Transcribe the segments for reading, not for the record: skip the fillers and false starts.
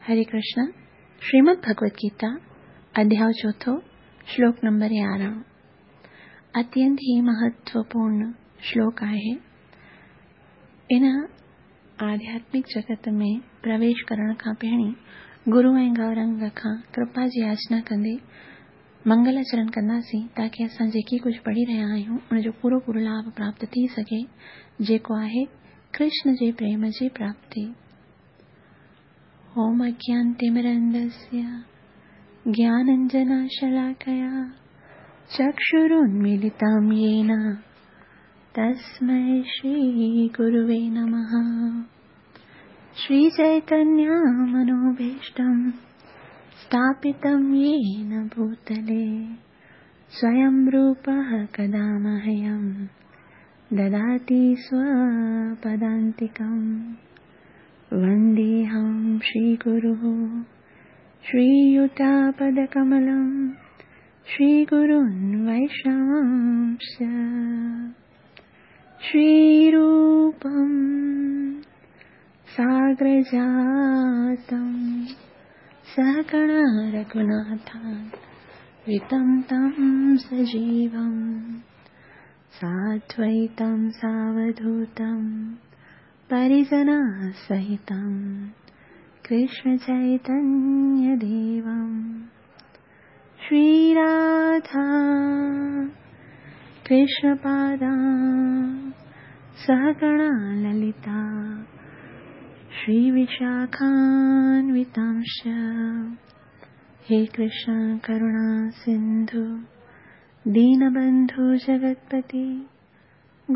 هري ڪرشن، شريمد ڀڳوت گيتا، اڌياء چوٿون، شلوڪ نمبر 11. اتينت ئي مهتوپورڻ شلوڪ آهي. ان آڌياتمڪ جڳت ۾ پرويش ڪرڻ کان پهرين گرو ۽ گورنگ کان ڪرپا جي ياچنا ڪندي منگل آچرڻ ڪنداسين تاڪه اسان جيڪي ڪجهه پڙهي رهيا آهيون ان جو پورو پورو لاڀ پراپت ٿي سگهي جيڪو آهي ڪرشن جي پريم جي پراپتي. اوم اجنانتمرندسيه گياننجناشلاڪيا چڪشرونميلتم يين تسمي شري گروي نمه. شري چيتنيه منوڀيشٽم اسٿاپتم يين ڀوتلي سويم روپه ڪدا مهيم دداتي سوپدانتڪم. ونديهم شري گروه شرييتپدڪملم شري گرون ويشنوانش شري روپم ساگرجاتم سهگڻ رघوناٿان وتم تم سجيوم سادويتم ساوڌوتم پريجنا سهتم ڪرشن چيتنيه ديوم شري راڌا ڪرشن پادا سهگڻا للتا شري وشاکانوتانش. هي ڪرشن ڪروڻا سنڌو دينبنڌو جگتپتي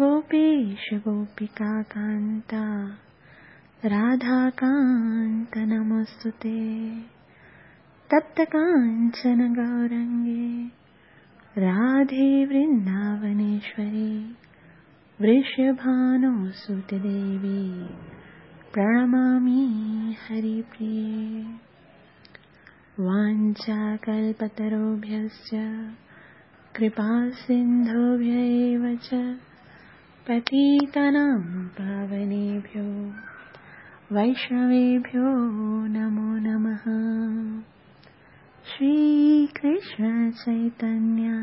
گوپيش گوپيڪا ڪانتا راڌا ڪانت نموستي. تپت ڪانچن گورنگي راڌي ورنداونيشوري ورشڀانوسوت ديوي پرڻمامي هري پريي. وانڇاڪلپتروڀيشچ ڪرپا سنڌوڀيا ايو چ پتيتانام پاونيڀيو ويشنويڀيو نمو نمه. شري ڪرشن چيتنيه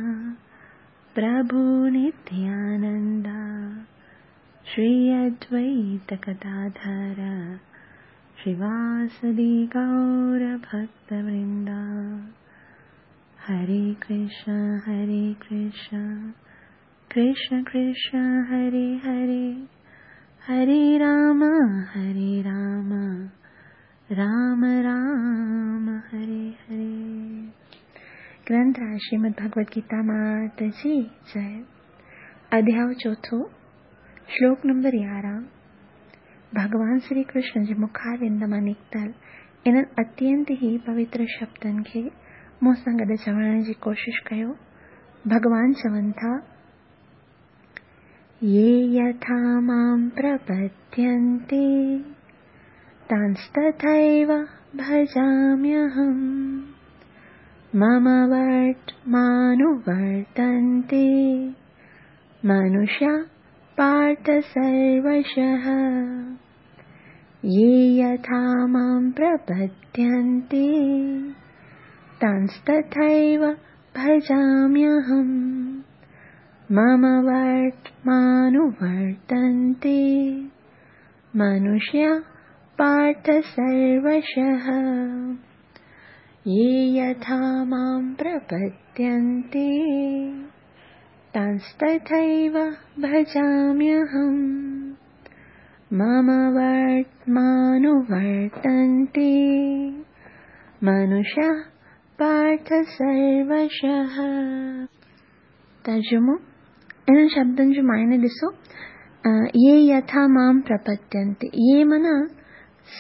پرڀو نتيانندا شري ادويت گداڌر شريواسدي گور ڀڪت ورندا. هري ڪرشن هري ڪرشن ڪرشن ڪرشن هري هري هري رام هري رام رام رام هري هري. گرنٿ راج شريمد ڀڳوت گيتا مات جي جئي. اڌياء چوٿون، شلوڪ نمبر 11. ڀڳوان شري ڪرشن جي مکاروند مان نڪتل انهن اتينت ئي پوتر شبدن کي مون سان گڏ چوڻ جي ڪوشش ڪيو. ڀڳوان چون ٿا، يي يٿا مام پرپدينتي تانستٿيو ڀجاميهم مم ورتمانوورتنتي منشيا پارٿ سروشः. يي يٿا مام پرپدينتي تانستٿيو ڀجاميهم مم ورتمانوورتنتي منشيا پارٿ سروشः. يي يٿا مام پرپدينتي تانستٿيو ڀجاميهم مم ورتمانوورتنتي منشيا پارٿ سروشः. ترجمو، انهن شبدن جو معني ڏسو. يي يٿا مام پرپدينتي، يي معنيٰ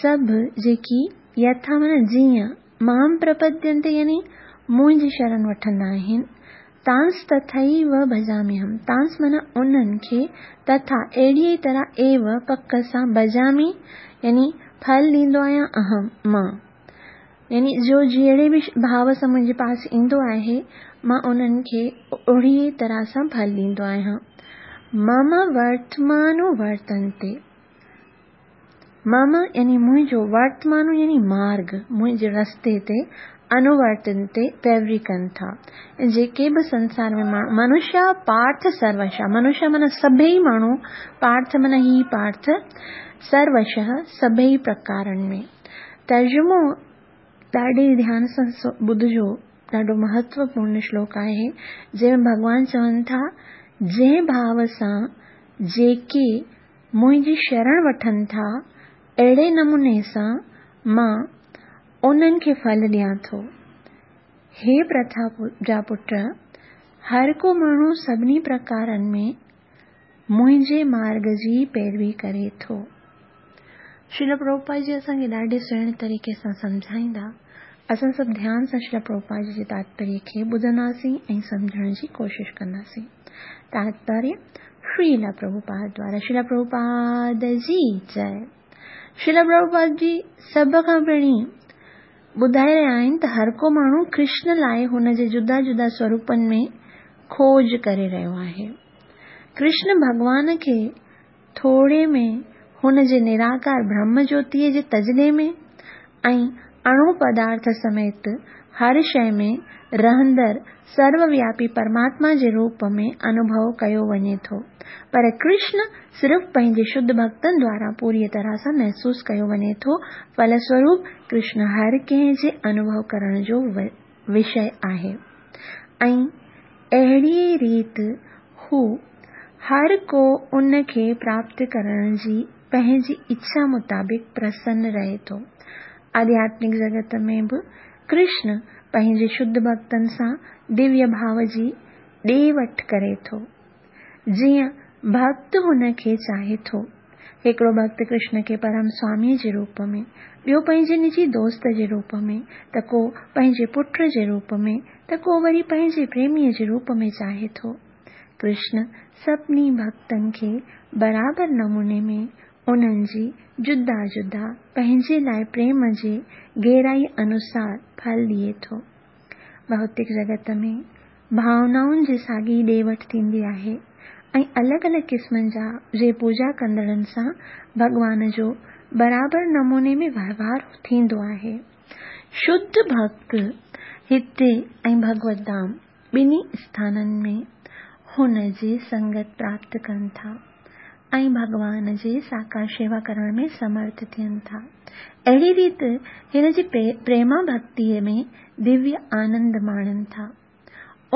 سڀ جيڪي، يٿا معنيٰ جيئن، مام پرپدينتي يعني منهنجي شرڻ وٺندا آهن، تانس تٿيو ڀجاميهم، تانس معنيٰ انهن کي، تٿا اهڙيء ئي طرح، ايو پڪ سان، ڀجامي يعني ڦل ڏيندو آهيان، اهم مان يعني جو جهڙي به ڀاو سان منهنجي پاس ايندو آهي مان انهن کي اهڙي ئي طرح سان ڦل ڏيندو آهيان. مم ورتمانو ورتنتي، مم يعني منهنجو، ورتمانو يعني مارگ، منهنجي رستي تي، انوورتنتي پيروي ڪن ٿا. جيڪي به سنسار ۾ ماڻهو، منشيا پارٿ سروشا، منشيا معنيٰ سڀئي ماڻهو، پارٿ معنيٰ هي پارٿ، سروشهه سڀئي پرڪارن ۾. ترجمو ڏاڍي ڌيان سان ٻڌجو، ڏاڍو مهتوپورڻ شلوڪ آهي، جنهن ۾ ڀڳوان چون ٿا، جنهن ڀاو سان جيڪي منهنجي شرڻ وٺن ٿا، اهڙي نموني سان مان انهن کي ڦل ڏيان ٿو. هي پرٿا جا پٽ، هر ڪو ماڻهو سڀني پرڪارن ۾ منهنجي مارگ جي پيروي ڪري ٿو. شريل پرڀوپاد جي اسان کي ڏاڍي سهڻي طريقي سان سمجهائيندا. اسان سڀ ڌيان سان شريل پرڀوپاد جي جي تاتپريه کي ٻڌنداسين ۽ سمجهڻ جي ڪوشش ڪنداسين. تاتپريه شريل پرڀوپاد دوارا شريل پرڀوپاد جي جئي. شريل پرڀوپاد جي سڀ کان پهرين ٻڌائي رهيا آهن ته هر ڪو ماڻهو ڪرشن لاء هن جي جدا جدا سوروپن ۾ کوج ڪري رهيو آهي. ڪرشن ڀڳوان کي ٿوري ۾ هن جي نراڪار برهم جوتيء جي تجلي ۾ ۽ اڻو پدارٿ سميت هر شيء ۾ رهندڙ سرووياپي پرماتما جي روپ ۾ انوڀو ڪيو وڃي ٿو. پر ڪرشن صرف پنهنجي شڌ ڀڳتن دواران پوريء طرح سان محسوس ڪيو وڃي ٿو. ڦلسوروپ ڪرشن هر ڪنهن جي انوڀو ڪرڻ جو وشيه آهي ۽ اهڙيء ريت هو هر ڪو ان کي پراپت ڪرڻ جي پنهنجي اڇا مطابق پرسن رهي ٿو. آڌياتمڪ جڳت ۾ به ڪرشن پنهنجي شڌ ڀڳتن سان دويه ڀاو جي ڏي وٺ ڪري ٿو. جيئن ڀڳت هن کي چاهي ٿو. هڪڙو ڀڳت ڪرشن کي پرم سواميء جي روپ ۾، ٻيو پنهنجي نجي دوست جي روپ ۾، ته ڪو پنهنجي پٽ جي روپ ۾، ته ڪو وري پنهنجي پريميء جي روپ ۾ چاهي ٿو. ڪرشن سڀني ڀڳتن کي برابر نموني ۾ انهن جي جدا جدا پنهنجي لاء پريم جي گهرائيء انوسار ڦل ڏئي ٿو. ڀوتڪ جڳت ۾ ڀاونائن جي ساڳي ڏي وٺ ٿيندي آهي ۽ الڳ الڳ قسمن جا جي پوڄا ڪندڙن سان ڀڳوان جو برابر نموني ۾ وهنوار ٿيندو آهي. شڌ ڀڳت هتي ۽ ڀڳوت ڌام ٻنهي اسٿانن ۾ هن جي سنگت پراپت ڪن ٿا ۽ ڀڳوان جي ساڪار شيوا ڪرڻ ۾ سمرٿ ٿين ٿا. اهڙي ريت هن جي پريما ڀڳتيء ۾ دويه آنند ماڻين ٿا.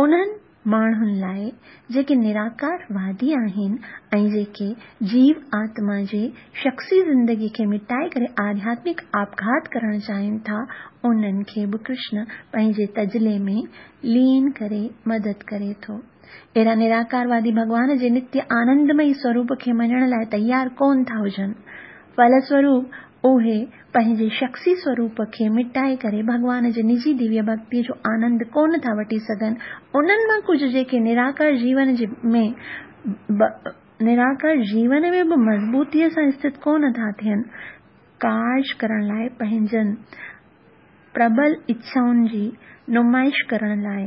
انهن ماڻهن لاء جيڪي نراڪار وادي آهن ۽ جيڪي جيو آتما جي شخصي زندگي کي مٽائي ڪري آڌياتمڪ آپگهات ڪرڻ چاهين ٿا، انهن کي به ڪرشن پنهنجي تجلي ۾ لين ڪري مدد ڪري ٿو. اهڙا نراڪاروادي ڀڳوان جي نتيه آنندمئي سوروپ کي مڃڻ لاء تيار ڪونه ٿا هجن. ڦلسوروپ اهي پنهنجي شخصي سوروپ کي مٽائي ڪري ڀڳوان جي نجي دويه ڀڳتيء جو آنند ڪونه ٿا وٺي سگهن. انهن مان ڪجهه جيڪي نراڪار جيون جي ۾ نراڪار جيون ۾ به مضبوطيء سان اسٿت ڪونه ٿا ٿين، ڪارج ڪرڻ لاء پنهنجن پرٻل اڇائن جي نمائش ڪرڻ لاء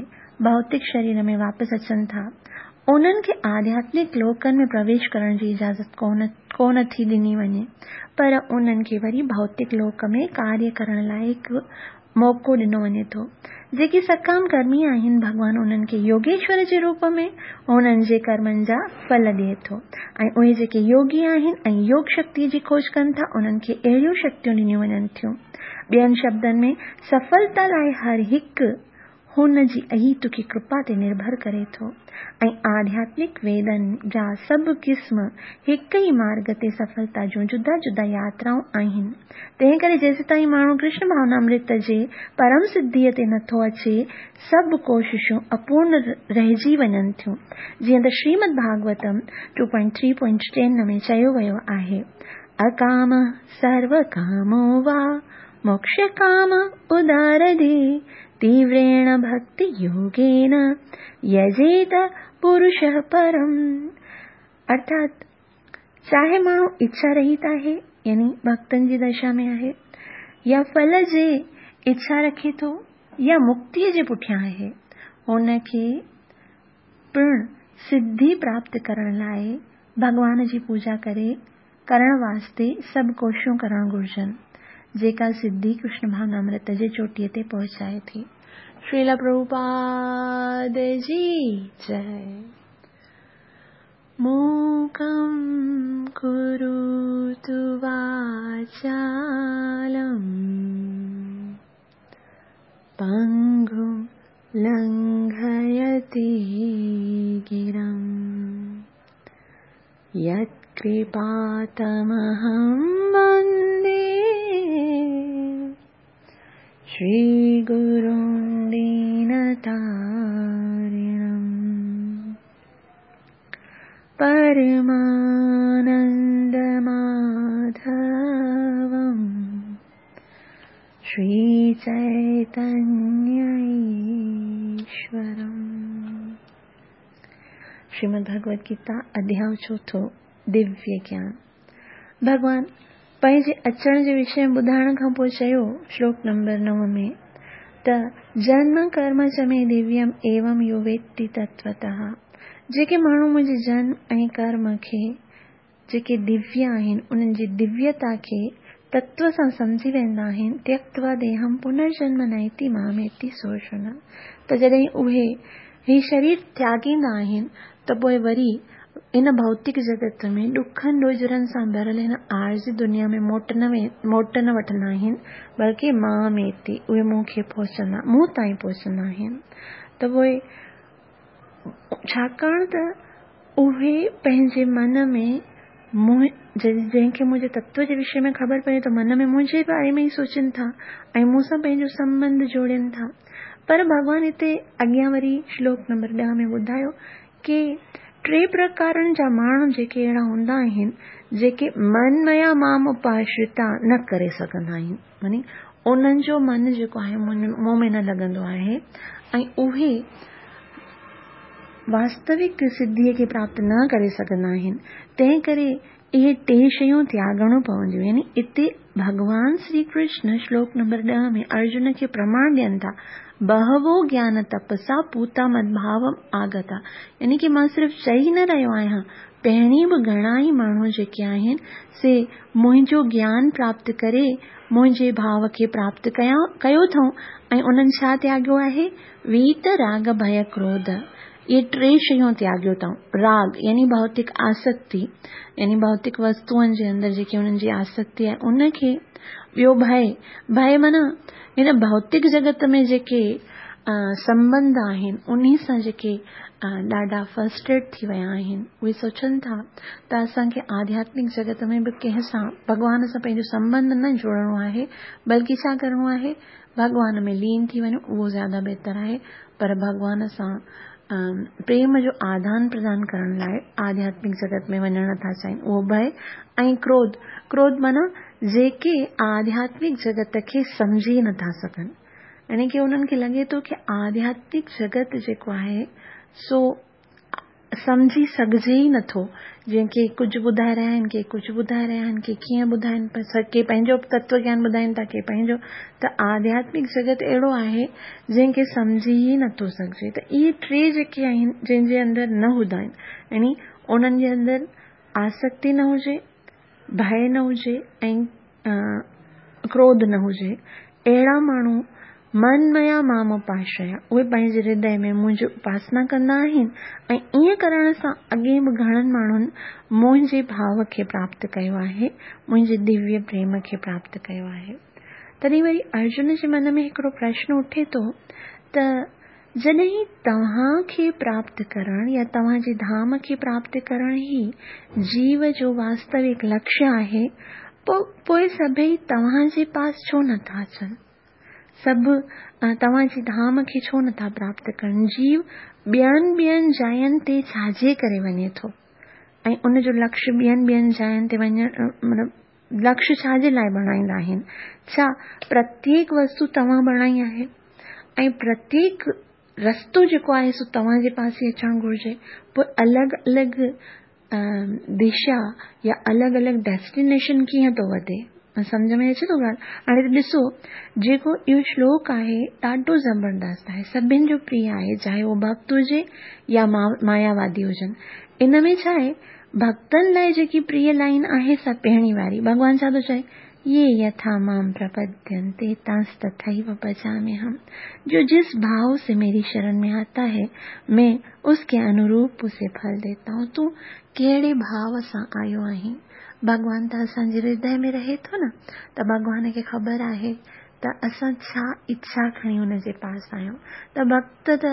ڀوتڪ شرير ۾ واپس اچن ٿا، انهن کي آڌياتمڪ لوڪن ۾ پرويش ڪرڻ جي اجازت ڪونه ٿي ڏني وڃي، پر انهن کي وري ڀوتڪ لوڪ ۾ ڪاريه ڪرڻ لاء هڪ موقعو ڏنو وڃي ٿو. جيڪي سڪام ڪرمي آهن، ڀڳوان انهن کي يوگيشور جي روپ ۾ انهن جي ڪرمن جا ڦل ڏئي ٿو ۽ اهي جيڪي يوگي آهن ۽ يوگ شڪتيء جي کوج ڪن ٿا، انهن کي اهڙيون شڪتيون ڏنيون وڃن ٿيون. ٻين شبدن ۾، سڦلتا لاء هر هڪ هن جي اهيتڪي ڪرپا تي نرڀر ڪري ٿو ۽ آڌياتمڪ ويدن جا سڀ قسم هڪ ئي مارڳ تي سڦلتا جون جدا جدا ياترائون آهن. تنهنڪري جيسيتائين ماڻهو ڪرشن ڀاونامرت جي پرم سڌيء تي نٿو اچي، سڀ ڪوششون اپورن رهجي وڃن ٿيون. جيئن ته Shrimad Bhagavatam two point three point ten ۾ چيو ويو آهي، اڪام سروڪامو وا موڪشڪام ادارڌي تيوريڻ ڀڳتي يوگين يجيت پرش پرم. ارٿات چاهي ماڻهو اڇا رهت آهي يعني ڀڳتن جي دشا ۾ آهي يا ڦل جي اڇا رکي ٿو يا مڪتيء جي پٺيان آهي، هن کي پڻ سڌي پراپت ڪرڻ لاء ڀڳوان جي پوڄا ڪري ڪرڻ واسطي سڀ ڪوششون ڪرڻ گهرجن، جيڪا سڌي ڪرشن ڀاونامرت جي چوٽيء تي پهچائي ٿي. شريلا پرڀوپاد جي جئي. موڪم ڪروتو واچالم پنگم لنگهيتي گرم يتڪرپا تمهم وندي شري گرم دينتارڻم پرمانند ماڌوم شري چيتنيه ايشورم. شريمد ڀڳوت گيتا اڌياء چوٿون، دويه گيان. ڀڳوان پنهنجي اچڻ جي وشي ۾ ٻڌائڻ کان پوء چيو، شلوڪ نمبر نو ۾، ته جنم ڪرم چ مي دويم ايوم يو ويتي تتوتः، جيڪي ماڻهو منهنجي جنم ۽ ڪرم کي، جيڪي دويه آهن، انهن جي دويتا کي تتو سان سمجهي ويندا آهن، تيڪتوا ديهم پنرجنم نيتي ماميتي سوشن، ته جڏهن اهي هي شرير تياڳيندا آهن ته پوء وري هن ڀوتڪ جڳت ۾ ڏکن ڏوجهرن سان ڀريل هن عارضي دنيا ۾ موٽ نه موٽ نه وٺندا آهن بلڪه ماميتي اهي مون کي پهچندا مون تائين پهچندا آهن ته پوء ڇاڪاڻ ته اهي پنهنجي من ۾ مون جنهن کي منهنجي تتو جي وشي ۾ خبر پئي ته من ۾ منهنجي باري ۾ ئي سوچين ٿا ۽ مون سان پنهنجو سنٻنڌ جوڙين ٿا. پر ڀڳوان هتي اڳيان وري شلوڪ نمبر ڏهه ۾ ٻڌايو ڪي ٽي پرڪارن جا ماڻهو جيڪي اهڙا هوندا آهن جيڪي من ميا مام اپاشرتا نه ڪري سگهندا آهن معني انهن جو من جيڪو آهي مون ۾ نه لڳندو آهي ۽ اهي واستوڪ سڌيء کي پراپت نه ڪري سگهندا آهن تنهن ڪري اهي ٽي شيون تياڳڻيون پونديون يعني اتي ڀڳوان شري ڪرشن شلوڪ نمبر ڏهه ۾ ارجن کي پرماڻ ڏين ٿا، بهوو گيان تپسا پوتا مدڀاوم آگتا يعني ڪي مان صرف چئي نه رهيو آهيان، پهرين به گهڻا ئي ماڻهو جيڪي آهن سي منهنجو گيان پراپت ڪري منهنجي ڀاو کي پراپت ڪيو اٿئون ۽ انهن ڇا تياڳيو آهي؟ ويت راڳ ڀئه ڪروڌ. اهي ٽي شيون تياڳيو اٿئون. راڳ يعني ڀوتڪ آسڪتي يعني ڀوتڪ وستوئن جي اندر جيڪي انهن جي آسڪتي آهي ان کي، ٻيو ڀئه، ڀئه معنيٰ هن ڀوتڪ جڳت ۾ جيڪي سنٻنڌ آهن انهي سان جيڪي ڏاڍا فرسٽريٽ ٿي ويا آهن اهي سوچن ٿا ته اسان کي آڌياتمڪ جڳت ۾ به ڪنهن سان ڀڳوان سان پنهنجو سنٻنڌ نه جوڙڻو آهي بلڪه ڇا ڪرڻو آهي ڀڳوان ۾ لين ٿي وڃو اهو زياده بهتر آهي پر ڀڳوان سان پريم جو آدان پردان ڪرڻ لاء آڌياتمڪ جڳت ۾ وڃڻ نٿا چاهين اهو ڀئه ۽ ڪروڌ، ڪروڌ معنيٰ جيڪي آڌياتمڪ جڳت کي سمجهي نٿا سگهن يعني ڪي انهن کي لڳي ٿو ڪي آڌياتمڪ جڳت جيڪو آهي سو سمجهي سگهجي ئي نٿو. جيئن ڪي ڪجهه ٻڌائي رهيا آهن، ڪي ڪجهه ٻڌائي رهيا آهن، ڪي ڪيئن ٻڌائين پيا، ڪي پنهنجو تتو گيان ٻڌائين ٿا، ڪي پنهنجو ته آڌياتمڪ جڳت اهڙو آهي جنهن کي سمجهي ئي نٿو سگهجي ته اهي ٽي جيڪي آهن جنهن جي اندر نه هوندا آهن يعني انهن جي اندر آسڪتي نه هجي، ڀئه نه هجي ۽ ڪروڌ نه هجي، اهڙا ماڻهو من ميا مام اپاشريا، اهي پنهنجي هردي ۾ منهنجي اپاسنا ڪندا آهن ۽ ائين ڪرڻ سان اڳي به گهڻن ماڻهن منهنجي ڀاو کي پراپت ڪيو آهي، منهنجي دويه پريم کي پراپت ڪيو آهي. تڏهن وري ارجن جي من ۾ هڪڙو پرشن اٺي ٿو ته جڏهن توهان کي پراپت ڪرڻ يا توهان جي ڌام کي پراپت ڪرڻ ئي جيو جو واستوڪ لڪشيه آهي، پوء سڀئي توهان جي پاس ڇو نٿا اچن؟ سڀ توهان جي ڌام کي ڇو نٿا پراپت ڪرن؟ جيو ٻين ٻين جاين تي ڇاجي ڪري وڃي ٿو ۽ ان جو لڪشيه ٻين ٻين جاين تي وڃڻ مطلب لڪشيه ڇا جي لاء بڻائيندا آهن؟ ڇا پرتيڪ وستو توهان بڻائي آهي ۽ پرتيڪ رستو جيڪو آهي سو توهان جي پاس ئي اچڻ گهرجي؟ پوء الڳ الڳ دشا يا الڳ الڳ ڊيسٽينيشن ڪيئن ٿو وڌي؟ سمجهه ۾ اچي ٿو ڳالهه؟ هاڻي ته ڏسو جيڪو اهو شلوڪ آهي ڏاڍو زبردست آهي سڀن جو پريه آهي چاهي اهو ڀڳت هجي يا ماياوادي هجن ان ۾ ڇا آهي ڀڳتن لاءِ جيڪي پريه لائن آهي سا پهرين واري. ڀڳوان ڇا ٿو چئي؟ ये यथा माम प्रपद्यन्ते तांस्तथैव भजाम्यहम्। जो जिस भाव से मेरी शरण में आता है, मैं उसके अनुरूप उसे फल देता हूँ। तूं कहिड़े भाव सां आयो आहीं? भॻवान त असांजे हृदय में रहे थो न, त भॻवान खे ख़बर आहे त असां छा इच्छा खणी हुनजे पास आहियूं। त भक्त त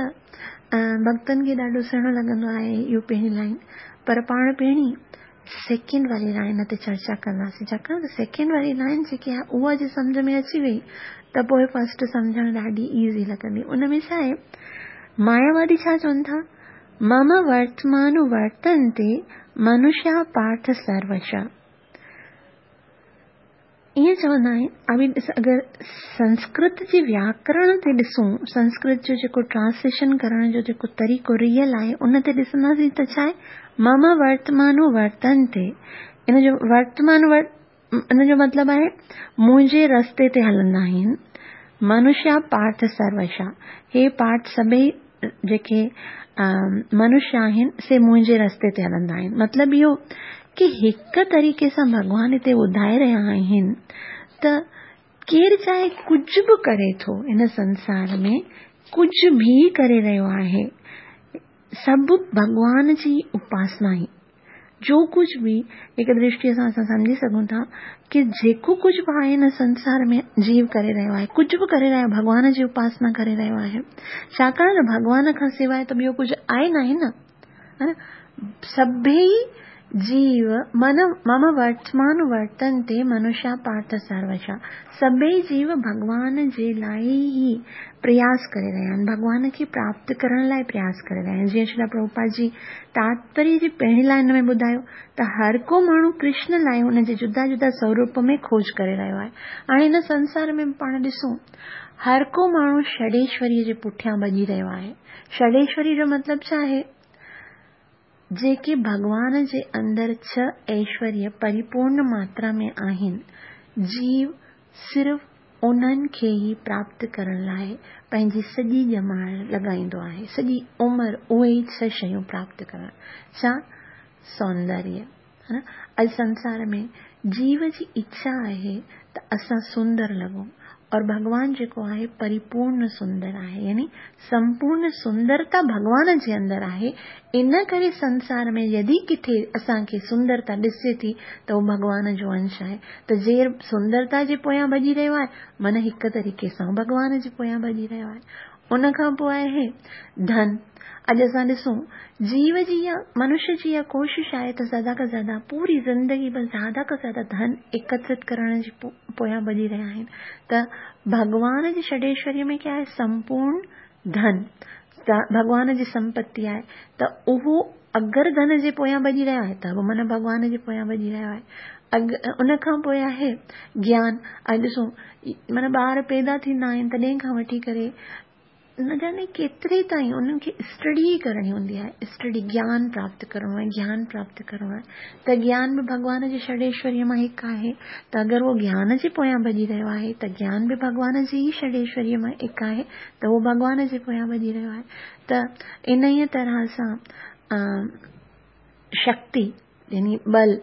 भक्तनि खे ॾाढो सुहिणो लॻंदो आहे इहो पहिरीं लाइन, पर पाण पहिरीं सेकंड वारी लाइन ते चर्चा कंदासीं, छाकाणि त सेकंड वारी लाइन जेकी आहे उहा जे सम्झ में अची वई त पोइ फर्स्ट सम्झणु ॾाढी ईज़ी लॻंदी। उन में छा आहे, मायावादी छा चवनि था, मम वर्तमानु वर्तन्ते मनुष्या पार्थ सर्वशः। ईअं चवंदा आहिनि। अभी अगरि संस्कृत जे व्याकरण ते ॾिसूं, संस्कृत जो जेको ट्रांसलेशन करण जो जेको तरीक़ो रियल आहे उन ते ॾिसंदासीं त छा आहे, मम वर्तमानु वर्तन्ते, इन जो वर्तमान इन जो मतिलबु आहे मुंहिंजे रस्ते ते हलंदा आहिनि। मनुष्य पार्थ सर्वशा, हे पार्थ सभई जेके मनुष्य आहिनि से मुंहिंजे रस्ते ते हलंदा आहिनि। मतिलबु इहो की हिकु तरीक़े सां भॻवान हिते ॿुधाए रहिया आहिनि त केरु चाहे कुझु बि करे थो हिन संसार में, कुझु बि करे रहियो आहे, सभु भॻवान जी उपासना ई। जो कुझु बि हिकु दृष्टीअ सां असां सम्झी सघूं था की जेको कुझु बि आहे हिन संसार में जीव करे रहियो आहे, कुझु बि करे रहियो आहे, भॻवान जी उपासना करे रहियो आहे, छाकाणि त भॻवान खां सवाइ त ॿियो कुझु आहे न आहे न, हा न? सभई जीव मन मम वर्तमान वर्तन्ते मनुष्य पार्थ सर्वशः, सभई जीव भॻवान जे लाइ ई प्रयास करे रहिया आहिनि, भॻवान खे प्राप्त करण लाइ प्रयास करे रहिया आहिनि। जीअं श्रील प्रभुपाद जी तात्पर्य जी पहिरीं लाइन में ॿुधायो त हर को माण्हू कृष्ण लाइ हुनजे जुदा जुदा स्वरूप में खोज करे रहियो आहे। हाणे हिन संसार में पाण ॾिसूं हर को माण्हू षडेश्वरीअ जे पुठियां भॼी रहियो आहे। षडेश्वरी जो मतिलबु छा आहे? जेके भॻवान जे अंदरि 6 ऐश्वर्य परिपूर्ण मात्रा में आहिनि, जीव सिर्फ़ उन्हनि खे ई प्राप्त करण लाइ पंहिंजी सॼी ॼमार लॻाईंदो आहे, सॼी उमिरि उहे ई 6 शयूं प्राप्त करण। छा? सौंदर्य, हा न? अॼु संसार में जीव जी इच्छा आहे त असां सुंदर लॻूं, और भॻवान जेको आहे परिपूर्ण सुंदर आहे, यानी संपूर्ण सुंदरता भॻवान जे अंदरि आहे। इन करे संसार में यदि किथे असांखे सुंदरता ॾिसजे थी त उहो भॻवान जो अंश आहे। त जेर सुंदरता जे पोयां भॼी रहियो आहे, माना हिकु तरीक़े सां भॻवान जे पोयां भॼी रहियो आहे। उन खां पोइ आहे धन। अॼु असां ॾिसूं जीव जी या मनुष्य जी इहा कोशिश आहे त ज़्यादा खां ज़्यादा पूरी ज़िंदगी में ज़्यादा खां ज़्यादा धन एकत्रित करण जी पोयां भॼी रहिया आहिनि। त भॻवान जी षडेश्वरीअ में क्या आहे? संपूर्ण धन, त भॻवान जी संपत्ति आहे। त उहो अगरि धन जे पोयां भॼी रहियो आहे त बि माना भॻवान जे पोयां भॼी रहियो आहे। उन खां पोइ आहे ज्ञान। अॼु ॾिसूं माना ॿार पैदा थींदा आहिनि तॾहिं खां वठी करे न जाने केतिरे ताईं उन्हनि खे स्टडी करणी हूंदी आहे, स्टडी, ज्ञान प्राप्त करिणो आहे, ज्ञान प्राप्त करिणो आहे। त ज्ञान बि भॻवान जे षडेश्वरीअ मां हिकु आहे। त अगरि उहो ज्ञान जे पोयां भॼी रहियो आहे त ज्ञान बि भॻवान जी ई षडेश्वरीअ मां हिकु आहे, त उहो भॻवान जे पोयां भॼी रहियो आहे। त इन ई तरह सां शक्ति यानी बल,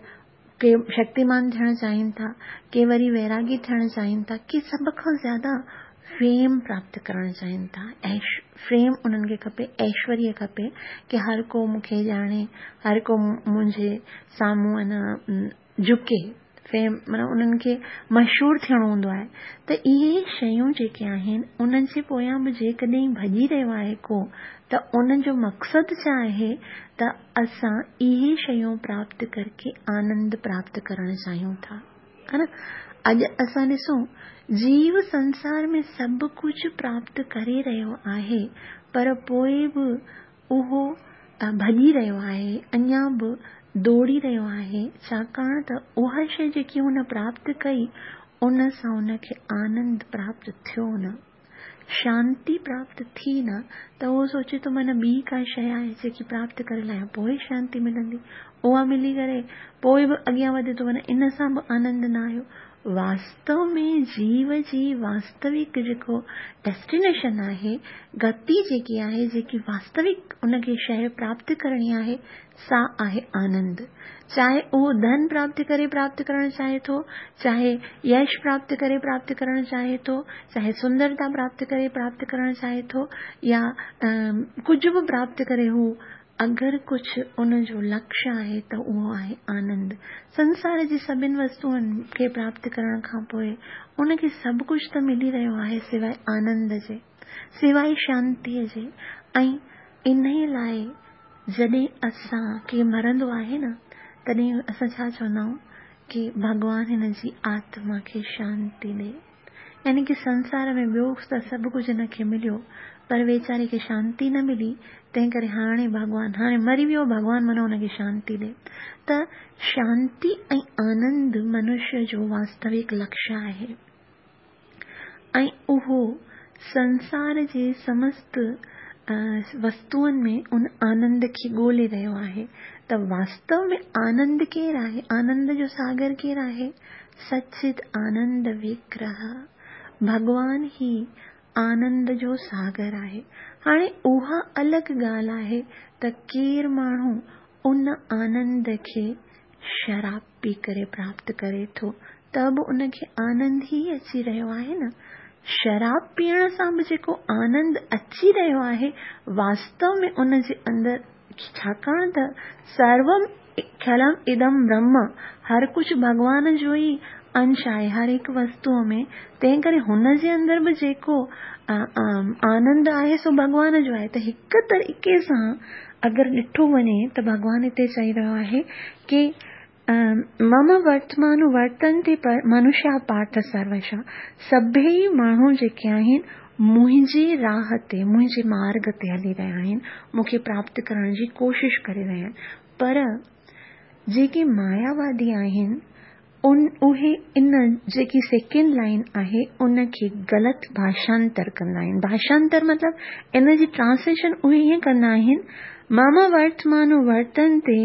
के शक्तिमान थियणु चाहिनि था, के वरी वैरागी थियणु चाहिनि था, के सभ खां ज़्यादा फेम प्राप्त करणु चाहिनि था। फेम उन्हनि खे खपे, ऐश्वर्य खपे की हर को मूंखे ॼाणे, हर को मुंहिंजे साम्हूं अना झुके, फेम माना उन्हनि खे मशहूरु थियणो हूंदो आहे। त इहे शयूं जेके आहिनि उन्हनि जे पोयां बि जेकॾहिं भॼी रहियो आहे को, त उन जो मक़सदु छा आहे? त असां इहे शयूं प्राप्त करके आनंद प्राप्त करणु चाहियूं था, हा न? अॼु असां ॾिसूं जीव संसार में सभु कुझु प्राप्त करे रहियो आहे, पर पोइ बि उहो भॼी रहियो आहे, अञा बि दौड़ी रहियो आहे, छाकाणि त उहा शइ जेकी हुन प्राप्त कई उन सां हुनखे आनंद प्राप्त थियो न, शांति प्राप्त थी न, त उहो सोचे थो माना ॿी का शइ आहे जेकी प्राप्त करे लायां पोइ शांति मिलंदी, उहा मिली करे पोइ बि अॻियां वधे थो, माना इन सां बि आनंद न आयो, واستو ۾ جيو جي واستوڪ جيڪو ڊيسٽينيشن آهي، گتي جيڪي آهي، جيڪي واستوڪ ان کي شيء پراپت ڪرڻي آهي، سا آهي آنند. چاهي اهو ڌن پراپت ڪري پراپت ڪرڻ چاهي ٿو، چاهي يش پراپت ڪري پراپت ڪرڻ چاهي ٿو، چاهي سندرتا پراپت ڪري پراپت ڪرڻ چاهي ٿو يا ڪجهه به پراپت ڪري هو اگر ڪجهه ان جو لڪشيه آهي ته اهو آهي آنند. سنسار جي سڀن وستوئن کي پراپت ڪرڻ کان پوء ان کي سڀ ڪجهه ته ملي رهيو آهي سواء آنند جي، سواء شانتيء جي ۽ انهيء لاء جڏهن اسان ڪير مرندو آهي نه تڏهن اسان ڇا چوندا آهيون ڪي ڀڳوان هن جي آتما کي شانتي ڏي. يعني ڪي سنسار ۾ ٻيو ته سڀ ڪجهه هن کي مليو پر ويچاري کي شانتي نه ملي تنهن ڪري هاڻي ڀڳوان هاڻي مري ويو ڀڳوان من هن کي شانتي ڏي ته شانتي ۽ آنند منشيه جو واستوڪ لڪشيه آهي ۽ اهو سنسار جي سمست وستوئن ۾ ان آنند کي ڳولي رهيو آهي ته واستو ۾ آنند ڪير آهي آنند جو ساگر ڪير آهي سچ آنند وگرهه، ڀڳوان ئي آنند جو ساگر آهي. هاڻي اها الڳ ڳالهه آهي ته ڪير ماڻهو ان آنند کي شراب پي ڪري پراپت ڪري ٿو ته به ان کي آنند ئي اچي رهيو آهي نه. شراب پيئڻ سان به جيڪو آنند اچي رهيو آهي واستو ۾ ان جي اندر ڇاڪاڻ ته سروم خلم ادم برهم، هر ڪجهه ڀڳوان جو ئي انش آهي، هر هڪ وستوء ۾، تنهن ڪري هن جي اندر به جيڪو آنند آهي سو ڀڳوان جو آهي ته هڪ طريقي سان اگر ڏٺو وڃي ته ڀڳوان هتي چئي رهيو آهي ڪي مم ورتمان ورتنتي منشا پارٿ سروشا سڀيئي ماڻهو جيڪي آهن منهنجي راهه تي منهنجي مارگ تي هلي رهيا آهن مون کي پراپت ڪرڻ جي ڪوشش ڪري رهيا آهن پر جيڪي ماياوادي آهن ان اهي ان جيڪي سيڪنڊ لائن آهي ان کي غلط ڀاشانتر ڪندا آهن ڀاشانتر مطلب ان جي ٽرانسليشن اهي ائين ڪندا آهن مم ورتمانو ورتنتي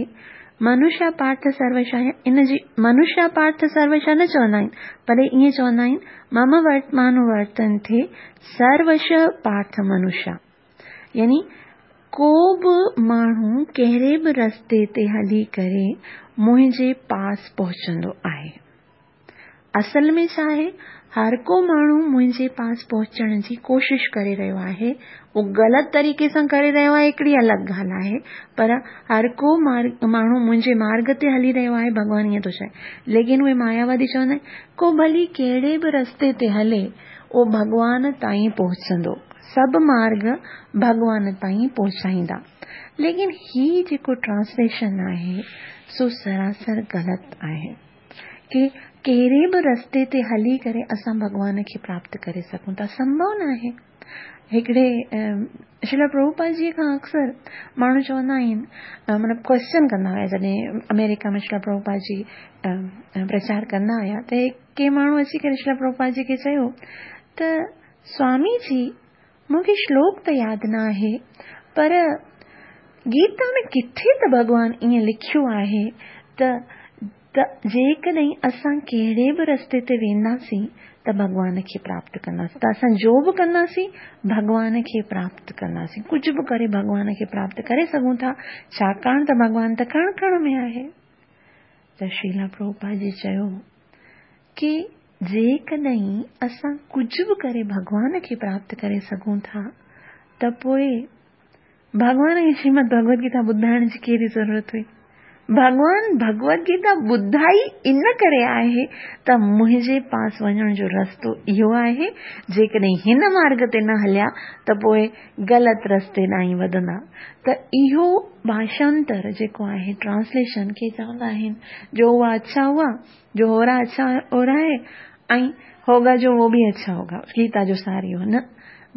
منشا پارٿ سروشا ان جي منشا پارٿ سروشا نه چوندا آهن پر ائين چوندا آهن مم ورتمانو ورتنتي سروش پارٿ منشا يعني ڪو به ماڻهو ڪهڙي به رستي تي هلي ڪري منهنجي پاس پهچندو آهي. اصل ۾ ڇا آهي، هر ڪو ماڻهو منهنجي پاس پهچڻ جي ڪوشش ڪري رهيو آهي، اهو غلط طريقي سان ڪري رهيو آهي هڪڙي الڳ ڳالهه آهي، پر هر ڪو ماڻهو منهنجي مارگ تي هلي رهيو آهي ڀڳوان ائين ٿو چئي. ليڪن اهي ماياوادي چوندا آهن، ڪو ڀلي ڪهڙي به رستي تي هلي، اهو ڀڳوان تائين پهچندو. سڀ مارگ ڀڳوان تائين پهچائيندا. ليڪن هي جيڪو ٽرانسليشن آهي سو سراسر غلط آهي ڪي ڪهڙي به رستي تي هلي ڪري اسان ڀڳوان کي پراپت ڪري سگهون ٿا سمڀو ناهي. هڪڙي شريلا پرڀوپاد جي کان اڪثر ماڻهو چوندا آهن مطلب ڪويسچن ڪندا هيا جڏهن آمريڪا ۾ شريلا پرڀوپاد جي پرچار ڪندا هيا ته ڪي ماڻهو اچي ڪري شريلا پرڀوپاد جي کي چيو ته سوامي جي، مون کي شلوڪ ته ياد نه آهي، پر گيتا ۾ ڪٿي ته ڀڳوان ائين لکيو آهي ته ته جيڪڏهن اسان ڪهڙي به رستي تي وينداسين ته ڀڳوان کي پراپت ڪنداسين ته اسان جو به ڪنداسين ڀڳوان کي پراپت ڪنداسين ڪجهه به ڪري ڀڳوان کي پراپت ڪري سگهون ٿا ڇاڪاڻ ته ڀڳوان ته ڪڻ ڪڻ ۾ آهي ته شريلا پرڀوپاد جي چيو ڪي جيڪڏهن اسان ڪجهه به ڪري ڀڳوان کي پراپت ڪري سگهون ٿا ته پوء ڀڳوان کي شريمد ڀڳوت گيتا ٻڌائڻ جي ڪهڙي ضرورت هئي؟ ڀڳوان ڀڳوت گيتا ٻڌائي ان ڪري آهي ته منهنجي پاس وڃڻ جو رستو اهو آهي، جيڪڏهن هن مارگ تي نه هليا ته پوء غلط رستي ڏانهن وڌندا ته اهو ڀاشانتر جيڪو آهي ٽرانسليشن کي چوندا آهن جو هوا اڇا هوا جو هو رها اڇا هو رها هي ۽ هوگا جو وو به اڇا هوگا گيتا جو سار اهو نه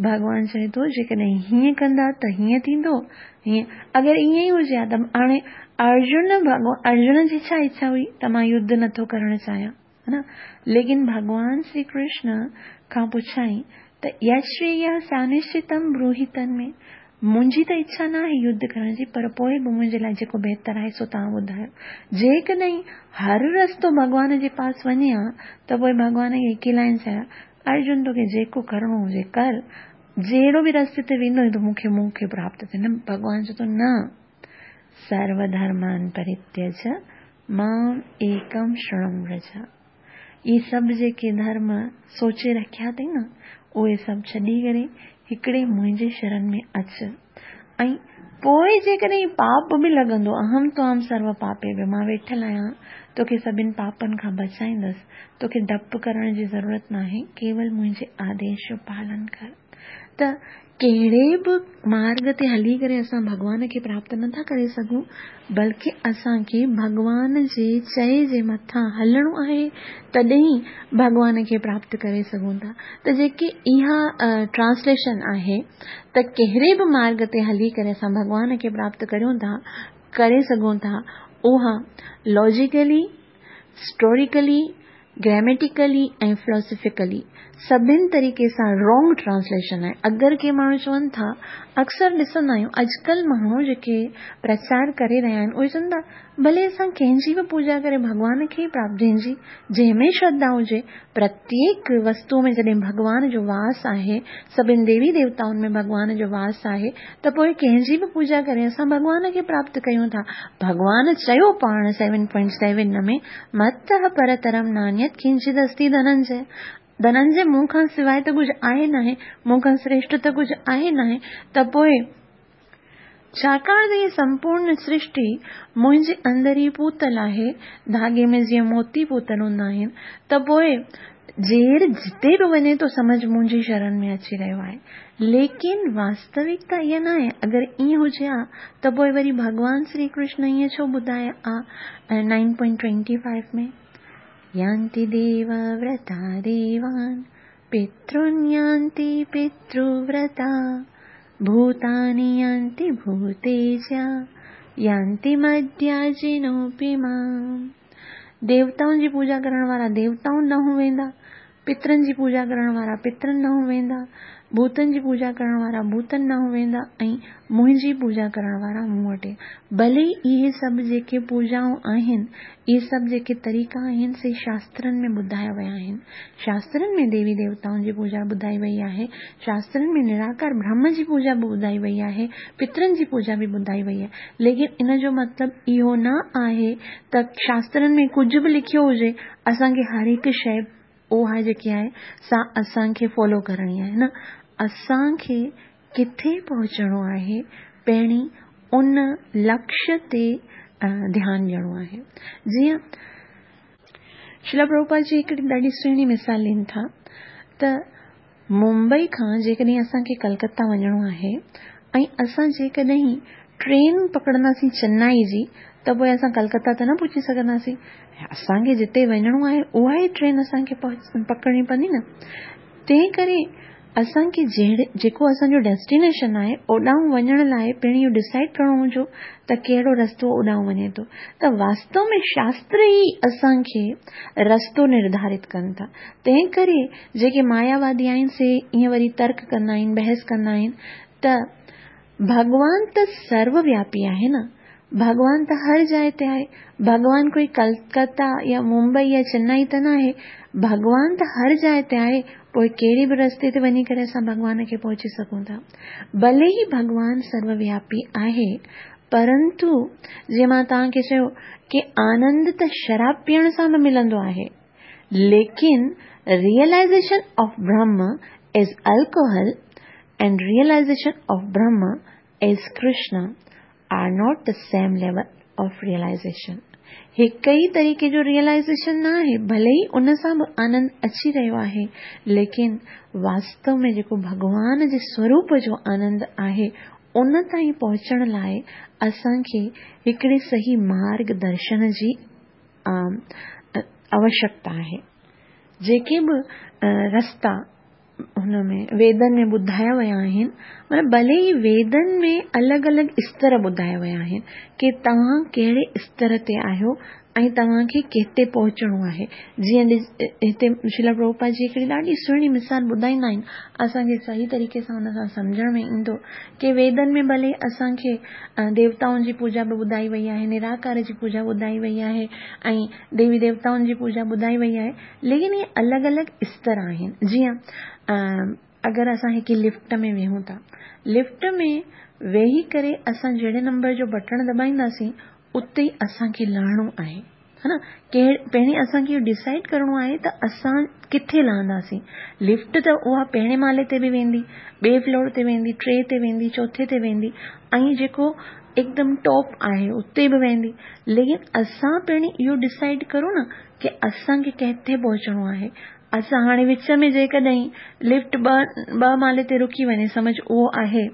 ڀڳوان چئي ٿو جيڪڏهن هيئن ڪندا ته هيئن ٿيندو هيئن اگر ائين ئي هجي ها ته هاڻي ارجن ڀڳوان ارجن جي ڇا اڇا هئي ته مان يڌ نٿو ڪرڻ چاهيان ها نه ليڪن ڀڳوان شري ڪرشن کان پڇائين ته يشريا سانشچتم بروهي تن ۾ منهنجي ته اڇا ناهي يڌ ڪرڻ جي پر پوء به منهنجي لاء جيڪو بهتر آهي سو توهان ٻڌايو. جيڪڏهن هر رستو ڀڳوان جي پاس وڃي ها ته پوء ڀڳوان کي هڪ ئي لائن چئي ها، ارجن توکي جيڪو ڪرڻو هجي ڪر، جهڙو به رستي تي ويندو ته مون کي مون کي پراپت ٿئي. نه ڀڳوان چئي ٿو نه سرو ڌرمان پرتيج مام ايڪم شرڻم ورج. اهي سڀ جيڪي ڌرم سوچي رکيا اٿئي نه، اهي سڀ ڇڏي ڪري هڪڙي منهنجي شرن ۾ اچ ۽ پوء جيڪڏهن پاپ به لڳندو، اهم توام سرو پاپيڀيو، مان ويٺل آهيان، توکي سڀن پاپن کان بچائيندس، توکي ڊپ ڪرڻ جي ضرورت ناهي، ڪيول منهنجي آديش جو پالن ڪر. ته ڪهڙي به مارڳ تي هلي ڪري اسان ڀڳوان کي پراپت نه ٿا ڪري سگهون بلڪه اسان کي ڀڳوان جي چئي جي مٿان هلڻو آهي تڏهن ئي ڀڳوان کي پراپت ڪري سگهون ٿا ته جيڪي اها ٽرانسليشن آهي ته ڪهڙي به مارڳ تي هلي ڪري اسان ڀڳوان کي پراپت ڪريون ٿا ڪري سگهون ٿا اها لاجيڪلي اسٽوريڪلي، گريميٽيڪلي ۽ فلاسافيڪلي سڀن طريقي سان رانگ ٽرانسليشن آهي. اگر ڪي ماڻهو چون ٿا، اڪثر ڏسندا آهيون اڄڪلهه ماڻهو جيڪي پرچار ڪري رهيا آهن اهي چون ٿا ڀلي اسان ڪنهن جي به پوڄا ڪري ڀڳوان کي ئي پراپت جنهن جي جنهن ۾ شرڌا هجي پرتيڪ وستو ۾ جڏهن ڀڳوان جو واس آهي سڀن ديوي ديوتائن ۾ ڀڳوان جو واس آهي ته پوء ڪنهن جي به پوڄا ڪري اسان ڀڳوان کي پراپت ڪيون ٿا. ڀڳوان چيو پاڻ سيون پوائنٽ سيون ۾ متّه پرترم نانيت ڪنچد استي ڌننجي. ڌننجي مون کان سواء ته ڪجهه آهي ناهي، مون کان سريشٽ ته ڪجهه آهي ناهي ته پوء ڇاڪاڻ ته هيء سمپورن سرشٽي منهنجي اندر ئي پوتل آهي، ڌاڳي ۾ جيئن موتي پوتل هوندا آهن ته پوء جير جتي به وڃي ٿو سمجهه منهنجي شرن ۾ اچي رهيو آهي. ليڪن واستوڪتا اها ناهي، اگر ائين هجي ها ته پوء وري ڀڳوان شري ڪرشن ائين ڇو ٻڌائي ها نائن پوائنٽ ٽوئنٽي فائيو ۾، يانتي ديو ورتا ديوان پترن يانتي پتر ورتا ڀوتاني يانتي ڀوتيجا يانتي مدياجنوپي مام. ديوتائن جي پوڄا ڪرڻ وارا ديوتائن ڏانهن ويندا، پترن جي پوڄا ڪرڻ وارا پترن ڏانهن ويندا، ڀوتن جي پوڄا ڪرڻ وارا ڀوتن ڏانهن ويندا ۽ منهنجي پوڄا ڪرڻ وارا مون وٽ ايندا. ڀلي اهي سڀ جيڪي پوڄائون آهن، اهي سڀ جيڪي طريقا آهن سي شاسترن ۾ ٻڌايا ويا آهن. شاسترن ۾ ديوي ديوتائن جي پوڄا ٻڌائي وئي آهي، شاسترن ۾ نراڪار برهم جي پوڄا به ٻڌائي وئي آهي، پترن جي پوڄا به ٻڌائي وئي آهي، ليڪن ان جو مطلب اهو نه آهي ته شاسترن ۾ ڪجهه به لکيو هجي اسان کي هر هڪ شيء اها جيڪي آهي سا اسان کي فالو ڪرڻي آهي نه اسان کي ڪٿي پهچڻو آهي پهرين ان لڪشيه تي ڌيان ڏيڻو آهي جيئن شريلا پرڀوپاد جي هڪڙي ڏاڍي سهڻي مثال ڏين ٿا ته ممبئي کان جيڪڏهن اسان کي ڪلڪتا وڃڻو آهي ۽ اسان جيڪڏهن ٽرين پڪڙنداسين چنائي جي ته پوء اسان ڪلڪتا ته نه پهچي سگهنداسين. اسان کي جتي وڃڻو آهي اها ئي ٽرين اسان کي پڪڙڻي پوندي نه. تنهن ڪري اسان کي جهڙي جيڪو اسان جو ڊيسٽينيشن آهي اوڏانهن وڃڻ لاء پهرين اهو ڊسائيڊ ڪرڻو هوندو ته ڪهڙو رستو اوڏانهن وڃي ٿو ته واستو ۾ شاستر ئي اسان کي رستو نرڌارت ڪن ٿا. تنهن ڪري جيڪي ماياوادي آهن سي ائين وري ترڪ ڪندا آهن، بحث ڪندا آهن ته ڀڳوان ته سرو وياپي آهي نه، ڀڳوان ته هر جاء تي آهي، ڀڳوان ڪوئي ڪلڪتا يا ممبئي يا چنائي ته ناهي، ڀڳوان ته هر جاء تي آهي، پوء ڪهڙي به رستي تي وڃي ڪري اسان ڀڳوان کي پهچي سگهون ٿا. ڀلي ئي ڀڳوان سرو وياپي آهي، پرنتو جيئن مان توهان کي چيو ڪي آنند ته شراب پيئڻ سان به ملندو آهي. ليڪن realization of Brahma as alcohol and realization of Brahma as Krishna are not the same level of realization. هڪ ئي طريقي جو ريئلائيزيشن نه آهي، ڀلي ئي ان سان به آنند اچي رهيو آهي، ليڪن واستو ۾ جيڪو ڀڳوان جي سوروپ جو آنند آهي، ان تائين پهچڻ لاء اسان کي هڪڙي صحيح مارگ درشن جي آوشڪتا آهي. جيڪي به رستا هن ۾ ويدن ۾ ٻڌايا ويا آهن، مطلب ڀلي ئي ويدن ۾ الڳ الڳ استر ٻڌايا ويا آهن ڪي توهان ڪهڙي استر تي آهيو، ۽ توهان کي ڪٿي پهچڻو آهي. جيئن هتي شريلا پرڀوپاد جي هڪڙي ڏاڍي سهڻي مثال ٻڌائيندا آهن، اسان کي صحيح طريقي سان ان سان سمجهڻ ۾ ايندو ڪي ويدن ۾ ڀلي اسان کي ديوتائن جي پوڄا به ٻڌائي وئي آهي، نراڪار جي پوڄا ٻڌائي وئي آهي ۽ ديوي ديوتائن جي پوڄا ٻڌائي وئي آهي، ليڪن اهي الڳ الڳ استر آهن. جيئن اگر اسان هڪ لفٽ ۾ ويهون ٿا، لفٽ ۾ ويهي ڪري اسان جهڙي نمبر جو بٽڻ دٻائينداسين اتي ئي اسان کي لهڻو آهي ها نه پهرين اسان کي اهو ڊسائيڊ ڪرڻو آهي ته اسان ڪٿي لهنداسين لفٽ ته اها پهرين مالي تي به ويندي ٻئي فلور تي ويندي ٽي تي ويندي چوٿي تي ويندي ۽ جيڪو هڪدم ٽاپ آهي اتي به ويندي ليڪن اسان پهرين اهو ڊسائيڊ ڪرون نه ڪي اسان کي ڪٿي پهچڻو آهي اسان هاڻي وچ ۾ جيڪڏهن لفٽ ٻه ٻه مالي تي رڪي وڃي سمجهه اهو آهي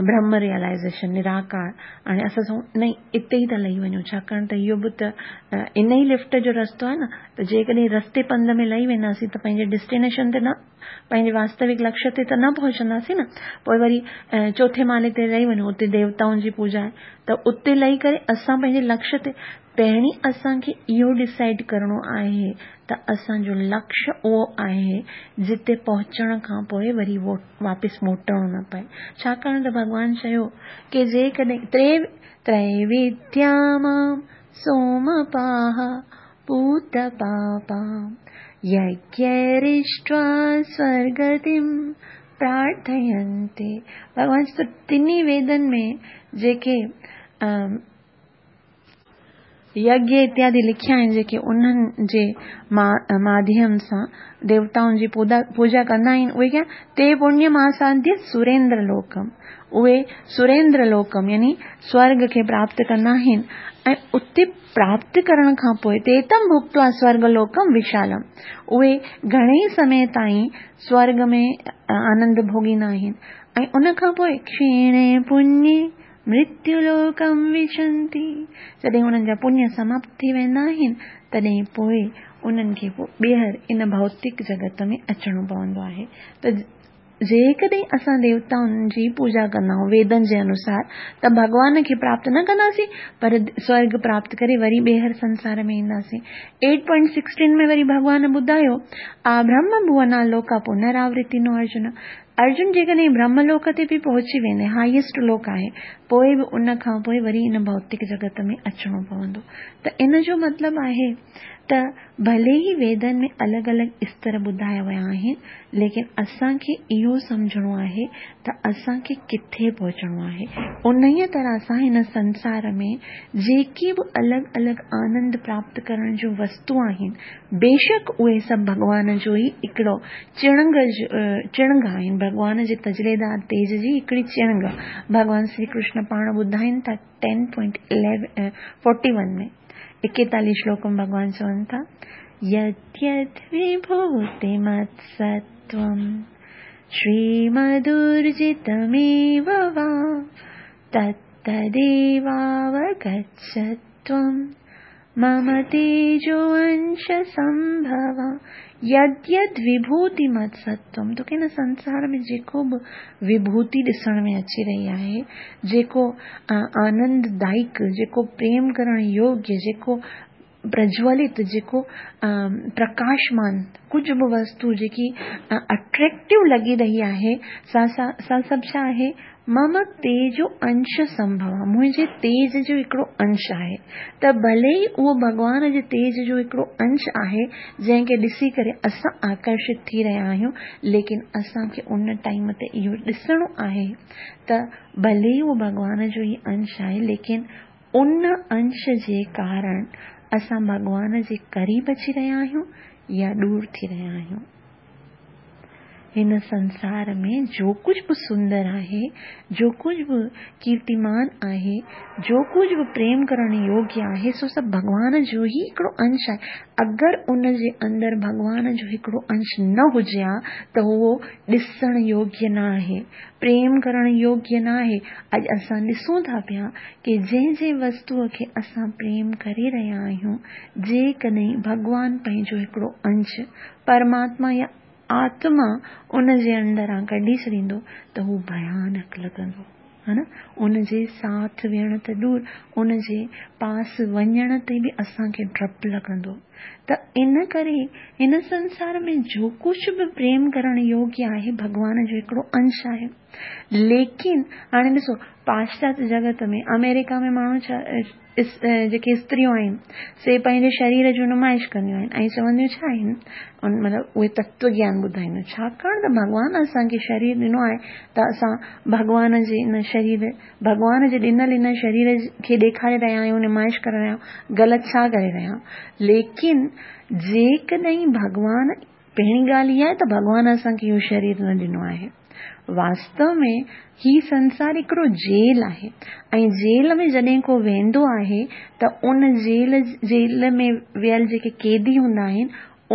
برهم ريئلائيزيشن نراڪار هاڻي اسان سمجهون نهين اتي ئي ٿا لهي وڃون ڇاڪاڻ ته اهو به ته ان ئي لفٽ جو رستو آهي نه ته جيڪڏهن رستي پنڌ ۾ لهي وينداسين ته پنهنجي ڊيسٽينيشن تي نه پنهنجي واستوڪ لڪش تي ته نه پهچنداسين نه پوء وري چوٿين مالي تي لهي وڃون اتي ديوتائن جي پوڄا آهي ته اتي لهي ڪري اسان پنهنجي لڪش تي پهرين اسان کي اهو ڊسائيڊ ڪرڻو آهي ته اسان جو لڪش اهو آهي جتي پهچڻ کان پوء وري واپس موٽڻو نه پئي. ڇاڪاڻ ته ڀڳوان چيو ڪي جيڪڏهن تريوديا مام سومپاها پوت پاپا يگيرشٽوا سورگتيم پرارٿينتي ڀڳوان چئي ٿو ٽنهي ويدن ۾ جيڪي يگيه اتيادي لکيا آهن جيڪي انهن جي ماڌيم سان ديوتائن جي پوڄا ڪندا آهن اهي ڪيا تي پڻيم آساديه سريندر لوڪم اهي سريندر لوڪم يعني سورگ کي پراپت ڪندا آهن ۽ اتي پراپت ڪرڻ کان پوء تي تم ڀڪتوا سورگ لوڪم وشالم اهي گهڻي سمي تائين سورگ ۾ آنند ڀوڳيندا آهن ۽ ان کان پوء ڪشيڻي پڃي مرتيو لوڪم وشنتي، جڏهن انهن جا پڃ سماپت ٿي ويندا آهن، تڏهن پوء انهن کي ٻيهر ان ڀوتڪ جڳت ۾ اچڻو پوندو آهي ته جيڪڏهن اسان ديوتائن جي پوڄا ڪندا آهيون ويدن جي انوسار ته ڀڳوان کي پراپت نه ڪنداسين پر سورگ پراپت ڪري وري ٻيهر سنسار ۾ اينداسين. ايٽ پوائنٽ سڪسٽين ۾ وري ڀڳوان ٻڌايو آ برهم ڀونا لوڪا پنراورتينو ارجن ارجن جيڪڏهن برهم لوڪ تي به پهچي ويندي، هائيسٽ لوڪ آهي، پوء به ان کان پوء وري ان ڀوتڪ جڳت ۾ اچڻو پوندو. ته ان جو مطلب آهي ته ڀلي ئي ويدن ۾ الڳ الڳ استر ٻڌايا ويا آهن، ليڪن اسان کي اهو سمجهڻو آهي ته اسان کي ڪٿي پهچڻو آهي. انهيء طرح سان هن سنسار ۾ جيڪي به الڳ الڳ آنند پراپت ڪرڻ جون وستو آهن، بيشڪ اهي سڀ ڀڳوان جو ئي هڪڙو چڻنگ چڻنگ آهن، ڀڳوان جي تجليدار تيج جي هڪڙي چڻنگ. ڀڳوان شري ڪرشن پاڻ ٻڌائين ٿا ٽين پوائنٽ فورٽي ون ۾، ايڪيتاليهه شلوڪ ۾ ڀڳوان چون ٿا، يد يد وڀوتيمتستوم شريمدورجتميو وا تت تديواوگڇ تون مم تيجو انش سنڀوا يد يد وڀوتي مت ستوم توکي هن سنسار ۾ جيڪو به وڀوتي ڏسڻ ۾ اچي رهي آهي جيڪو آنند دائڪ جيڪو پريم ڪرڻ يوگيه جيڪو پرجولت جيڪو پرڪاشمان ڪجهه به وستو جيڪي اٽريڪٽو لڳي رهي آهي سا سا سڀ ڇا آهي مم تيجو انش سنڀوا، منهنجي تيج جو هڪڙو انش آهي. ته ڀلي ئي اهو ڀڳوان جي تيج جو هڪڙو انش آهي، جنهن کي ڏسي ڪري اسان آڪرشت ٿي رهيا آهيون، ليڪن اسان کي ان ٽائيم تي اهو ڏسڻو آهي ته ڀلي ئي اهو ڀڳوان جو ئي انش آهي، ليڪن ان انش جي ڪارڻ اسان ڀڳوان جي قريب اچي رهيا آهيون يا ڏور ٿي رهيا آهيون. هن سنسار ۾ جو ڪجهه به سندر آهي، جو ڪجهه به ڪيرتيمان آهي، جو ڪجهه به پريم ڪرڻ يوگيه آهي، سو سڀ ڀڳوان جو ئي هڪڙو انش آهي. اگر ان جي اندر ڀڳوان جو هڪڙو انش نه هجي ها ته اهو ڏسڻ يوگيه نه آهي، پريم ڪرڻ يوگيه نه آهي. اڄ اسان ڏسون ٿا پيا ڪي جنهن جنهن وستوء کي اسان پريم ڪري رهيا آهيون، جيڪڏهن ڀڳوان پنهنجو هڪڙو انش پرماتما يا آتما ان جي اندران ڪڍي ڇڏيندو ته هو ڀيانڪ لڳندو. ها نه ان جي ساٿ ويهڻ ته دور ان جي پاس وڃڻ تي به اسان کي ڊپ لڳندو ته ان ڪري هن سنسار ۾ جو ڪجهه به پريم ڪرڻ يوگيه آهي ڀڳوان جو هڪڙو انش آهي ليڪن هاڻي ڏسو پاشچاتيه جڳت ۾ آمريڪا ۾ ماڻهو ڇا جيڪي استريون آهن سي پنهنجي شرير جون نمائش ڪنديون آهن ۽ چونديون ڇا آهن ان مطلب اهي تتو گيان ٻڌائينديون ڇاڪاڻ ته ڀڳوان اسان کي شرير ڏنو آهي ته اسان ڀڳوان جي ان شرير ڀڳوان جي ڏنل ان شرير کي ڏيکاري رهيا آهيون نمائش ڪري رهيا آهيون غلط ڇا ڪري رهيا آهيون ليڪن جيڪڏهن ڀڳوان پهرين ڳالهه اها آهي ته ڀڳوان اسان کي اهو شرير نه ڏنو آهي. واستو ۾ هي سنسار هڪڙو جيل آهي ۽ جيل ۾ جڏهن ڪو ويندو آهي ته ان جيل جيل ۾ ويل جيڪي قيدي هوندا آهن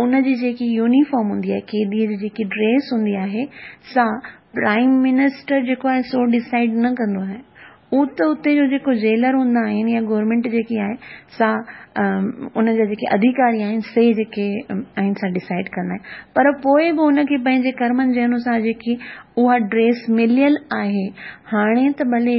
ان جي جيڪي يونيفارم هوندي آهي قيدي جي جيڪي ڊريس هوندي آهي سا پرائيم منسٽر جيڪو آهي سو ڊسائيڊ نه ڪندو آهي هو ته اتي جو جيڪو جيلر هوندا آهن يا گورنمينٽ جيڪي آهي سا ان جا جيڪي اڌيڪاري آهن سي جيڪي آهن سا ڊسائيڊ ڪندا آهن پر پوء به ان کي پنهنجي ڪرمن جي انوسار جيڪي اها ڊريس مليل آهي هاڻي ته ڀلي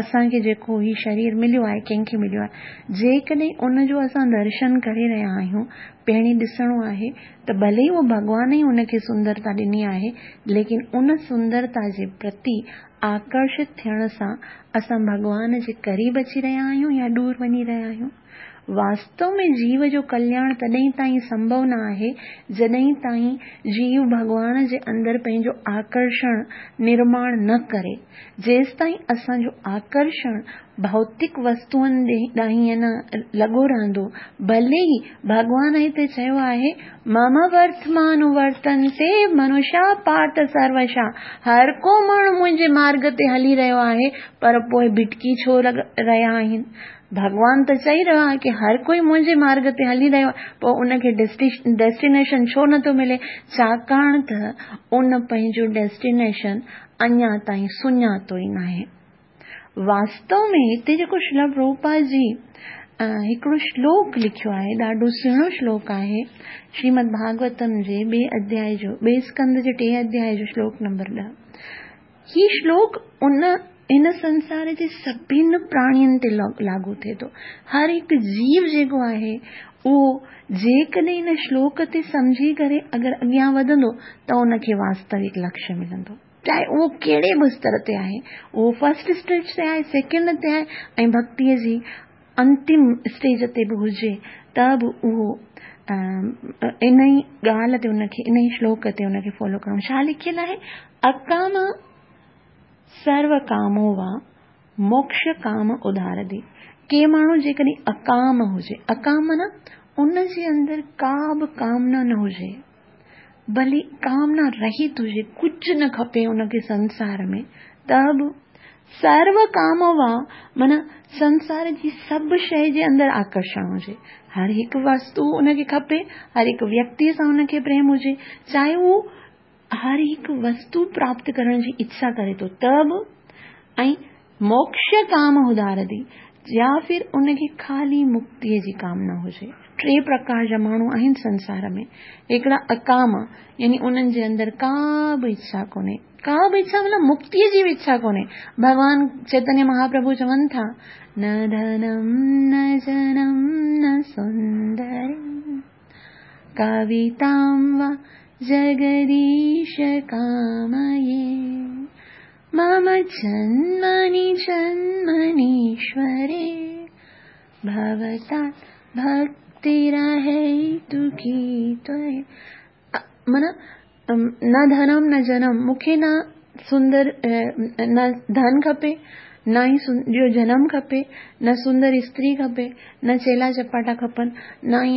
اسان کي جيڪو هي شرير مليو آهي ڪنهن کي مليو آهي جيڪڏهن ان جو اسان درشن ڪري رهيا آهيون پهرين ڏسڻو آهي ته ڀلي اهو ڀڳوان ئي ان کي سندرتا ڏني آهي ليڪن ان سندرتا جي پرتي آڪرشت ٿيڻ سان اسان ڀڳوان جي قريب اچي رهيا آهيون يا ڏور وڃي رهيا آهيون؟ واستو ۾ جيو جو ڪلياڻ تڏهن تائين سنڀو نه آهي، جڏهن تائين جيو ڀڳوان جي اندر پنهنجو آڪرشڻ نرماڻ نه ڪري. جيستائين اسان جو آڪرشڻ ڀوتڪ وستوئن ڏانهن نه لڳو رهندو، ڀلي ئي ڀڳوان هتي چيو آهي، مم ورتمانوورتنتي منشا پارٿ سروشا، هر ڪو ماڻهو منهنجي مارڳ تي هلي رهيو آهي، پر پوء ڀٽڪي ڇو رهيا آهن؟ ڀڳوان ته چئي رهيو آهي ڪه هر ڪوئي منهنجي مارڳ تي هلي رهيو آهي، پوء ان کي ڊيسٽينيشن ڇو نٿو ملي؟ ڇاڪاڻ ته ان پنهنجو ڊيسٽينيشن اڃا تائين سڃاتو ئي ناهي. واستو ۾ هتي جيڪو شريلا پرڀوپاد جي هڪڙو شلوڪ لکيو آهي ڏاڍو سهڻو شلوڪ آهي شريمد ڀاڳوتم جي ٻئي اڌيائي جو ٻئي اسڪنڌ جي ٽئين اڌيائي جو شلوڪ نمبر 10 هي شلوڪ ان هن سنسار جي سڀن پراڻين تي لاڳو ٿئي ٿو هر هڪ جيو جيڪو آهي اهو جيڪڏهن هن شلوڪ تي سمجهي ڪري اگر اڳيان وڌندو ته ان کي واستوڪ لڪشيه ملندو چاهي اهو ڪهڙي به استر تي آهي، اهو فرسٽ اسٽيج تي آهي، سيڪنڊ تي آهي ۽ ڀڳتيء جي انتم اسٽيج تي به هجي ته به اهو ان ئي ڳالهه تي ان کي ان ئي شلوڪ تي ان کي فالو ڪرڻو ڇا لکيل آهي اڪام سرو ڪامو وا موڪش ڪام ادار the ڪي ماڻهو جيڪڏهن اڪام هجي اڪام معنيٰ ان جي اندر ڪا به ڪامنا نه هجي ڀلي ڪامنا رهت هجي، ڪجهه نه کپي ان کي سنسار ۾ ته به سرو ڪام وا معنيٰ سنسار جي سڀ شيء جي اندر آڪرشڻ هجي، هر هڪ وستو ان کي کپي، هر هڪ ويڪتيء سان ان کي پريم هجي، چاهي هو هر هڪ وستو پراپت ڪرڻ جي اڇا ڪري ٿو ته به ۽ موڪش ڪام ادارتي يا ڦر ان کي خالي مڪتيء جي ڪامنا هجي. ٽي پرڪار جا ماڻهو آهن سنسار ۾. هڪڙا اڪام يعني انهن جي اندر ڪا به اڇا ڪونهي. ڪا به اڇا مطلب مڪتيء جي به اڇا ڪونهي. ڀڳوان چيتنيه مهاپرڀو چون ٿا، نه ڌنم نه جنم نه سندري ڪويتام وا جگديش ڪامئي. مم جنمني جنمنيشوري ڀوتا ڀڪتيرهيتڪي त्वयि معنيٰ نه ڌنم نه جنم مون کي نه سندر نه ڌن کپي نه ئي ٻيو جنم کپي نه سندر استري کپي نه چيلا چپاٽا کپن نه ئي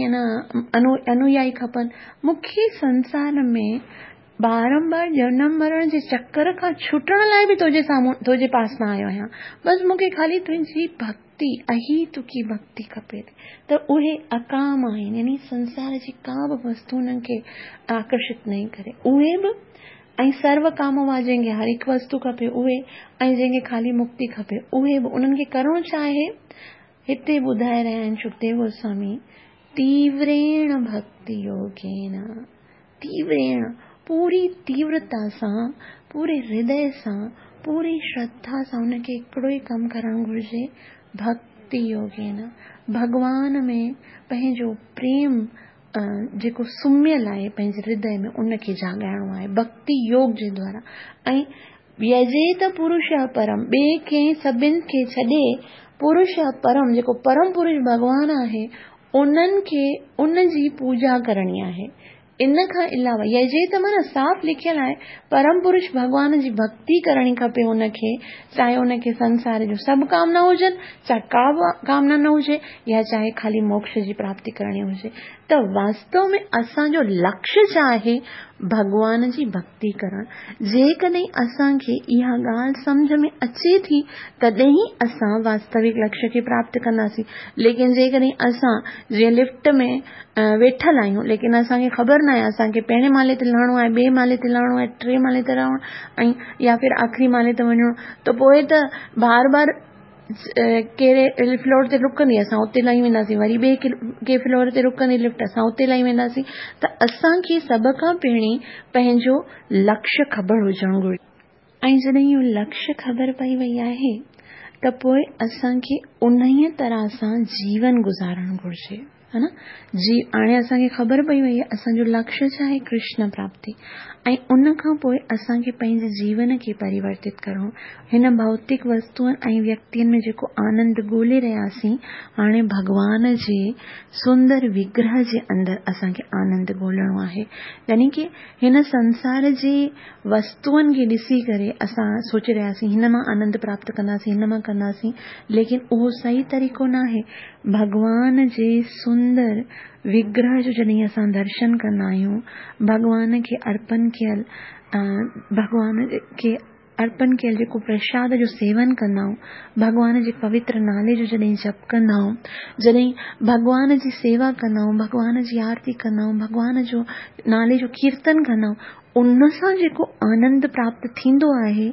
انويائي کپن مون کي سنسار ۾ بارنبار جنم مرڻ جي چڪر کان ڇٽڻ لاء به تنهنجي سامهون تنهنجي پاس نه آيو آهيان. بس مون کي خالي تنهنجي ڀڳتي، اهيتڪي ڀڳتي کپي ٿي. ته اهي اڪام آهن يعني سنسار جي ڪا به وستو انهن کي آڪرشت نئي ڪري. اهي به ۽ سرو ڪام هئا جنهن کي هر هڪ وستو کپي اهي ۽ جنهن کي خالي مڪتي کپي اهي به انهن کي ڪرڻو ڇا آهي؟ هتي ٻڌائي رهيا آهن شڪديو گوسوامي تيوريڻ ڀڳتي يوگين تيوريڻ پوري تيورتا سان، پوري هردي سان، پوري شرڌا سان ان کي هڪڙو ئي ڪم ڪرڻ گهرجي، ڀڪتي يوگين، ڀڳوان ۾ پنهنجو پريم جيڪو سمهيل آهي پنهنجي هردي ۾ ان کي جاڳائڻو آهي ڀڪتي يوگ جي دوارا. ۽ يجيت پرش پرم، ٻئي ڪنهن سڀن کي ڇڏي پرش پرم جيڪو پرم پرش ڀڳوان آهي انهن کي ان جي پوڄا ڪرڻي آهي. ان کان علاوه يجيت معنيٰ صاف لکيل آهي پرم پرش ڀڳوان جي ڀڪتي ڪرڻي کپي ان کي، چاهي ان کي سنسار جون سڀ ڪامنا هجن، چاهي ڪا به ڪامنا نه هجي يا چاهي خالي موڪش جي پراپتي ڪرڻي هجي. ته واستو ۾ اسان جو لڪشيه ڇا آهي؟ ڀڳوان جي ڀڪتي ڪرڻ. جيڪڏهن اسان کي اها ڳالهه سمجهه ۾ اچي ٿي تڏهن ئي اسان واستوڪ لڪشيه کي پراپت ڪنداسين. ليڪن جيڪڏهن اسان جيئن لفٽ ۾ ويٺل آهيون ليڪن اسان کي خبر ناهي اسان کي پهرين مالي تي لهڻو آهي، ٻئي مالي تي لهڻو آهي، ٽئين مالي تي لهڻو آهي ۽ يا ڦر آخري مالي تي وڃڻو ته پوء ته بار بار ڪهڙي فلور تي رڪندي اسان اتي لهي وينداسين، وري ٻئي ڪنهن فلور تي رڪندي لفٽ اسان اتي لهي وينداسين. ته اسان کي سڀ کان پهرين پنهنجو لڪشيه خبر هجڻ گهرجي. ۽ جڏهن اهو لڪشيه خبر پئي وئي آهي ته پوء اسان کي انهيء طرح سان جيون گذارڻ گهرجي. ها نه جي هاڻي اسان کي خبر پئي وئي آهي اسان جو لڪشيه ڇا آهي ڪرشن پراپتي ۽ ان کان پوء اسان کي پنهنجي جيون کي پريورتت ڪرڻو هن ڀوتڪ وستوئن ۽ ويڪتين ۾ جيڪو آنند ڳولي رهياسين هاڻي ڀڳوان جي سندر وگرهه جي اندر اسان کي آنند ڳولڻو آهي يعني ڪي هن سنسار جي وستوئن کي ڏسي ڪري اسان سوچي رهياسين هن مان آنند پراپت ڪنداسين هن مان ڪنداسين ليڪن اهو صحيح طريقو ناهي ڀڳوان جي سندر وگرهه جو جڏهن اسان درشن ڪندا آهيون، ڀڳوان کي ارپن ڪيل ڀڳوان کي ارپن ڪيل جيڪو پرشاد جو سيون ڪندا آهيون، ڀڳوان جي پوتر نالي جو جڏهن جپ ڪندا آهيون، جڏهن ڀڳوان جي سيوا ڪندا آهيون، ڀڳوان جي آرتي ڪندا آهيون، ڀڳوان جو نالي جو ڪيرتن ڪندا آهيون، ان سان جيڪو آنند پراپت ٿيندو آهي،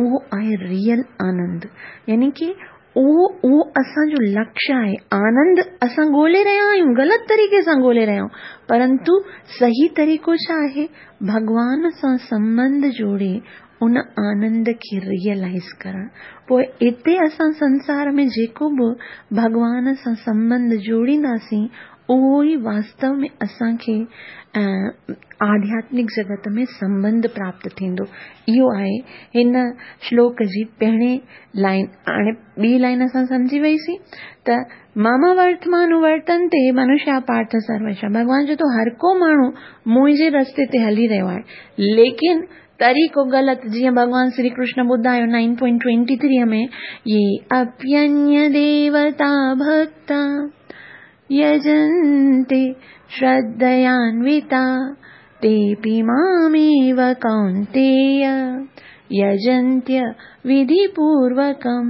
اهو آهي ريئل آنند يعني ڪي اهو اهو اسان جو لڪشيه آهي. آنند اسان ڳولي رهيا آهيون، غلط طريقي سان ڳولي رهيا آهيون، پرنتو صحيح طريقو ڇا آهي؟ ڀڳوان سان سنٻنڌ جوڙي ان آنند کي ريئلائيز ڪرڻ. پوء اتي اسان سنسار ۾ جيڪو به ڀڳوان سان سنٻنڌ جوڙينداسين، اهو ئي واستو ۾ اسان کي آڌياتمڪ جڳت ۾ سنٻنڌ پراپت ٿيندو. اهو آهي هن شلوڪ جي پهرين لائن. هاڻي ٻي لائن اسان سمجهي وئيسين ته مم ورتمانوورتنتي منشيا پارٿ سروش. ڀڳوان چئي ٿو هر ڪو ماڻهو منهنجي رستي تي هلي رهيو آهي ليڪن طريقو غلط، جيئن ڀڳوان شري ڪرشن ٻڌايو نائن پوائنٽ ٽوئنٽي ٿري ۾ يي اپينيه ديوتا ڀڪتا يجنتي شرڌيانويتا تيپي ماميو ڪونتييه يجنتي وڌي پوروڪم.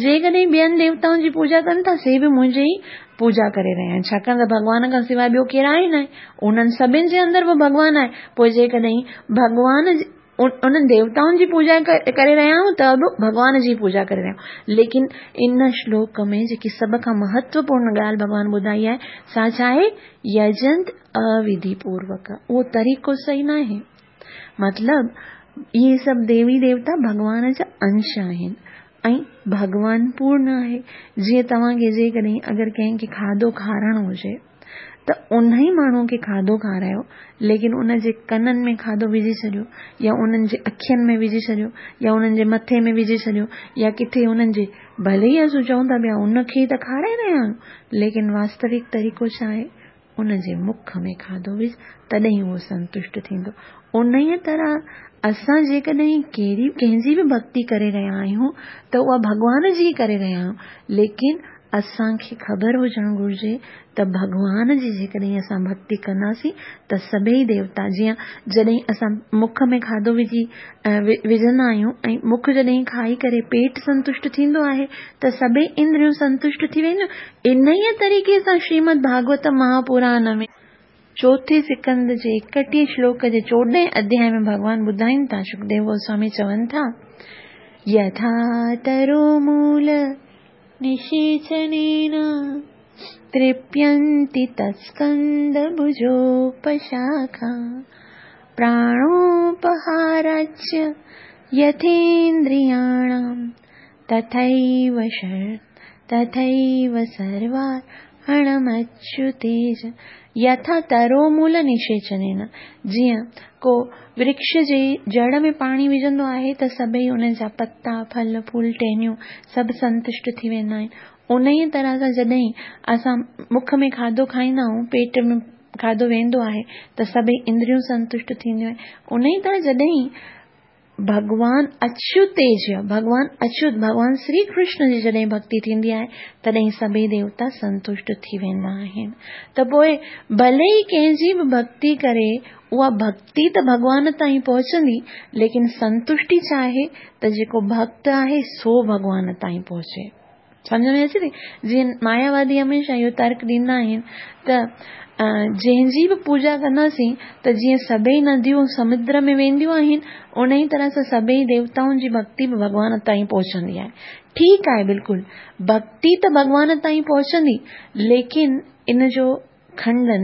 جيڪڏهن ٻين ديوتائن جي پوڄا ڪن ٿا سي به منهنجي ئي پوڄا ڪري رهيا آهن، ڇاڪاڻ ته ڀڳوان کان سواء ٻيو ڪير آهي ناهي، انهن سڀن جي اندر به ڀڳوان آهي، پوء جيڪڏهن ڀڳوان انهن ديوتائن جي پوڄا ڪري رهيا آهيون ته به ڀڳوان جي پوڄا ڪري رهيا آهيون. ليڪن ان شلوڪ ۾ جيڪي سڀ کان مهتوپورڻ ڳالهه ڀڳوان ٻڌائي آهي سا ڇا آهي؟ يجنت اوڌي پوروڪ. اهو طريقو صحيح ناهي. مطلب اهي سڀ ديوي ديوتا ڀڳوان جا انش آهن ۽ ڀڳوان پورڻ آهي. جيئن توهان کي جيڪڏهن اگر ڪنهن کي کاڌو کارائڻو هجي ته انهي ماڻهو کي کاڌو کارايو ليڪن ان جي ڪنن ۾ کاڌو وجهي ڇڏيو يا انهن جي اکين ۾ وجهي ڇڏيو يا انهن جي مٿي ۾ وجهي ڇڏيو يا ڪٿي انهن جي ڀلي ئي اسون چئون ٿا پيا ان کي ته کارائي رهيا آهيون ليڪن واستوڪ طريقو ڇا آهي ان جي مک ۾ کاڌو وجهه تڏهن اهو سنتشٽ ٿيندو. انهيء طرح اسان جيڪڏهن ڪهڙي ڪنهن جي به ڀڳتي ڪري رهيا آهيون ته اها ڀڳوان جي ئي ڪري رهيا آهيون ليڪن اسان کي خبر هجڻ گهرجي ته ڀڳوان جي جيڪڏهن اسان ڀڳتي ڪنداسين ته سڀئي ديوتا جيئن جڏهن اسان مک ۾ کاڌو وجهي وجهندا آهيون ۽ مک جڏهن کائي ڪري پيٽ سنتشٽ ٿيندو آهي ته سڀئي اندريون سنتشٽ ٿي وينديون. انهيء طريقي سان شريمد ڀاڳوت مهاپراڻ ۾ چوٿين سڪنڌ جي ايڪٽيهين شلوڪ جي چوڏهين اڌيائي ۾ ڀڳوان ٻڌائين ٿا، شڪديو گوسوامي چون ٿا، يٿا ترومول نشيچنين ترپينتي تسڪند ڀجوپشاکا. प्राणोपहाराच्च यथेन्द्रियाणां तथैव तथैव सर्वार्पणमच्युतेज यथा तरोमूल निषेचनेन। जीअं को वृक्ष जे जड़ में पाणी विझंदो आहे त सभई उन जा पता, फल, फूल, टहनियूं सभु संतुष्ट थी वेंदा आहिनि। उन ई तरह सां जॾहिं असां मुख में खाधो खाईंदा आहियूं, पेट में खाधो वेंदो आहे त सभई इंद्रियूं संतुष्ट थींदियूं आहिनि। उन ई तरह जॾहिं भॻवान अच्युतेज, भॻवान अच्युत, भॻवान श्री कृष्ण जी जॾहिं भक्ति थींदी आहे तॾहिं सभई देवता संतुष्ट थी वेंदा आहिनि। त पोइ भले ई कंहिंजी बि भक्ति करे, उहा भक्ति त भॻवान ताईं पहुचंदी, लेकिन संतुष्टि छा आहे त जेको भक्त आहे सो भॻवान ताईं पहुचे। सम्झ में अचे थी? जीअं मायावादी हमेशा इहो तर्क ॾींदा आहिनि त जंहिंजी बि पूजा कंदासीं त जीअं सभई नदियूं समुद्र में वेंदियूं आहिनि, उन ई तरह सां सभई देवताउनि जी भक्ति बि भॻवान ताईं पहुचंदी आहे। ठीकु आहे, बिल्कुलु भक्ति त भॻवान ताईं पहुचंदी, लेकिन इन जो खंडन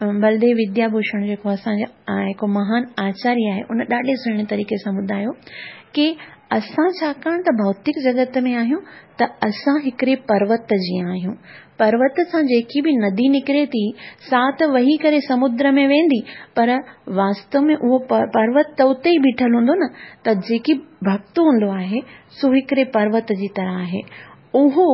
बलदेव विद्याभूषण जेको असांजो हिकु महान आचार्य आहे, उन ॾाढे सुहिणे तरीक़े सां ॿुधायो की असां छाकाणि त भौतिक जगत में आहियूं त असां हिकिड़े पर्वत जीअं आहियूं। पर्वत सां जेकी बि नदी निकिरे थी सा त वही करे समुद्र में वेंदी, पर वास्तव में उहो पर्वत त उते ई बीठल हूंदो न। त जेकी भक्त हूंदो आहे सो हिकिड़े पर्वत जी तरह आहे, उहो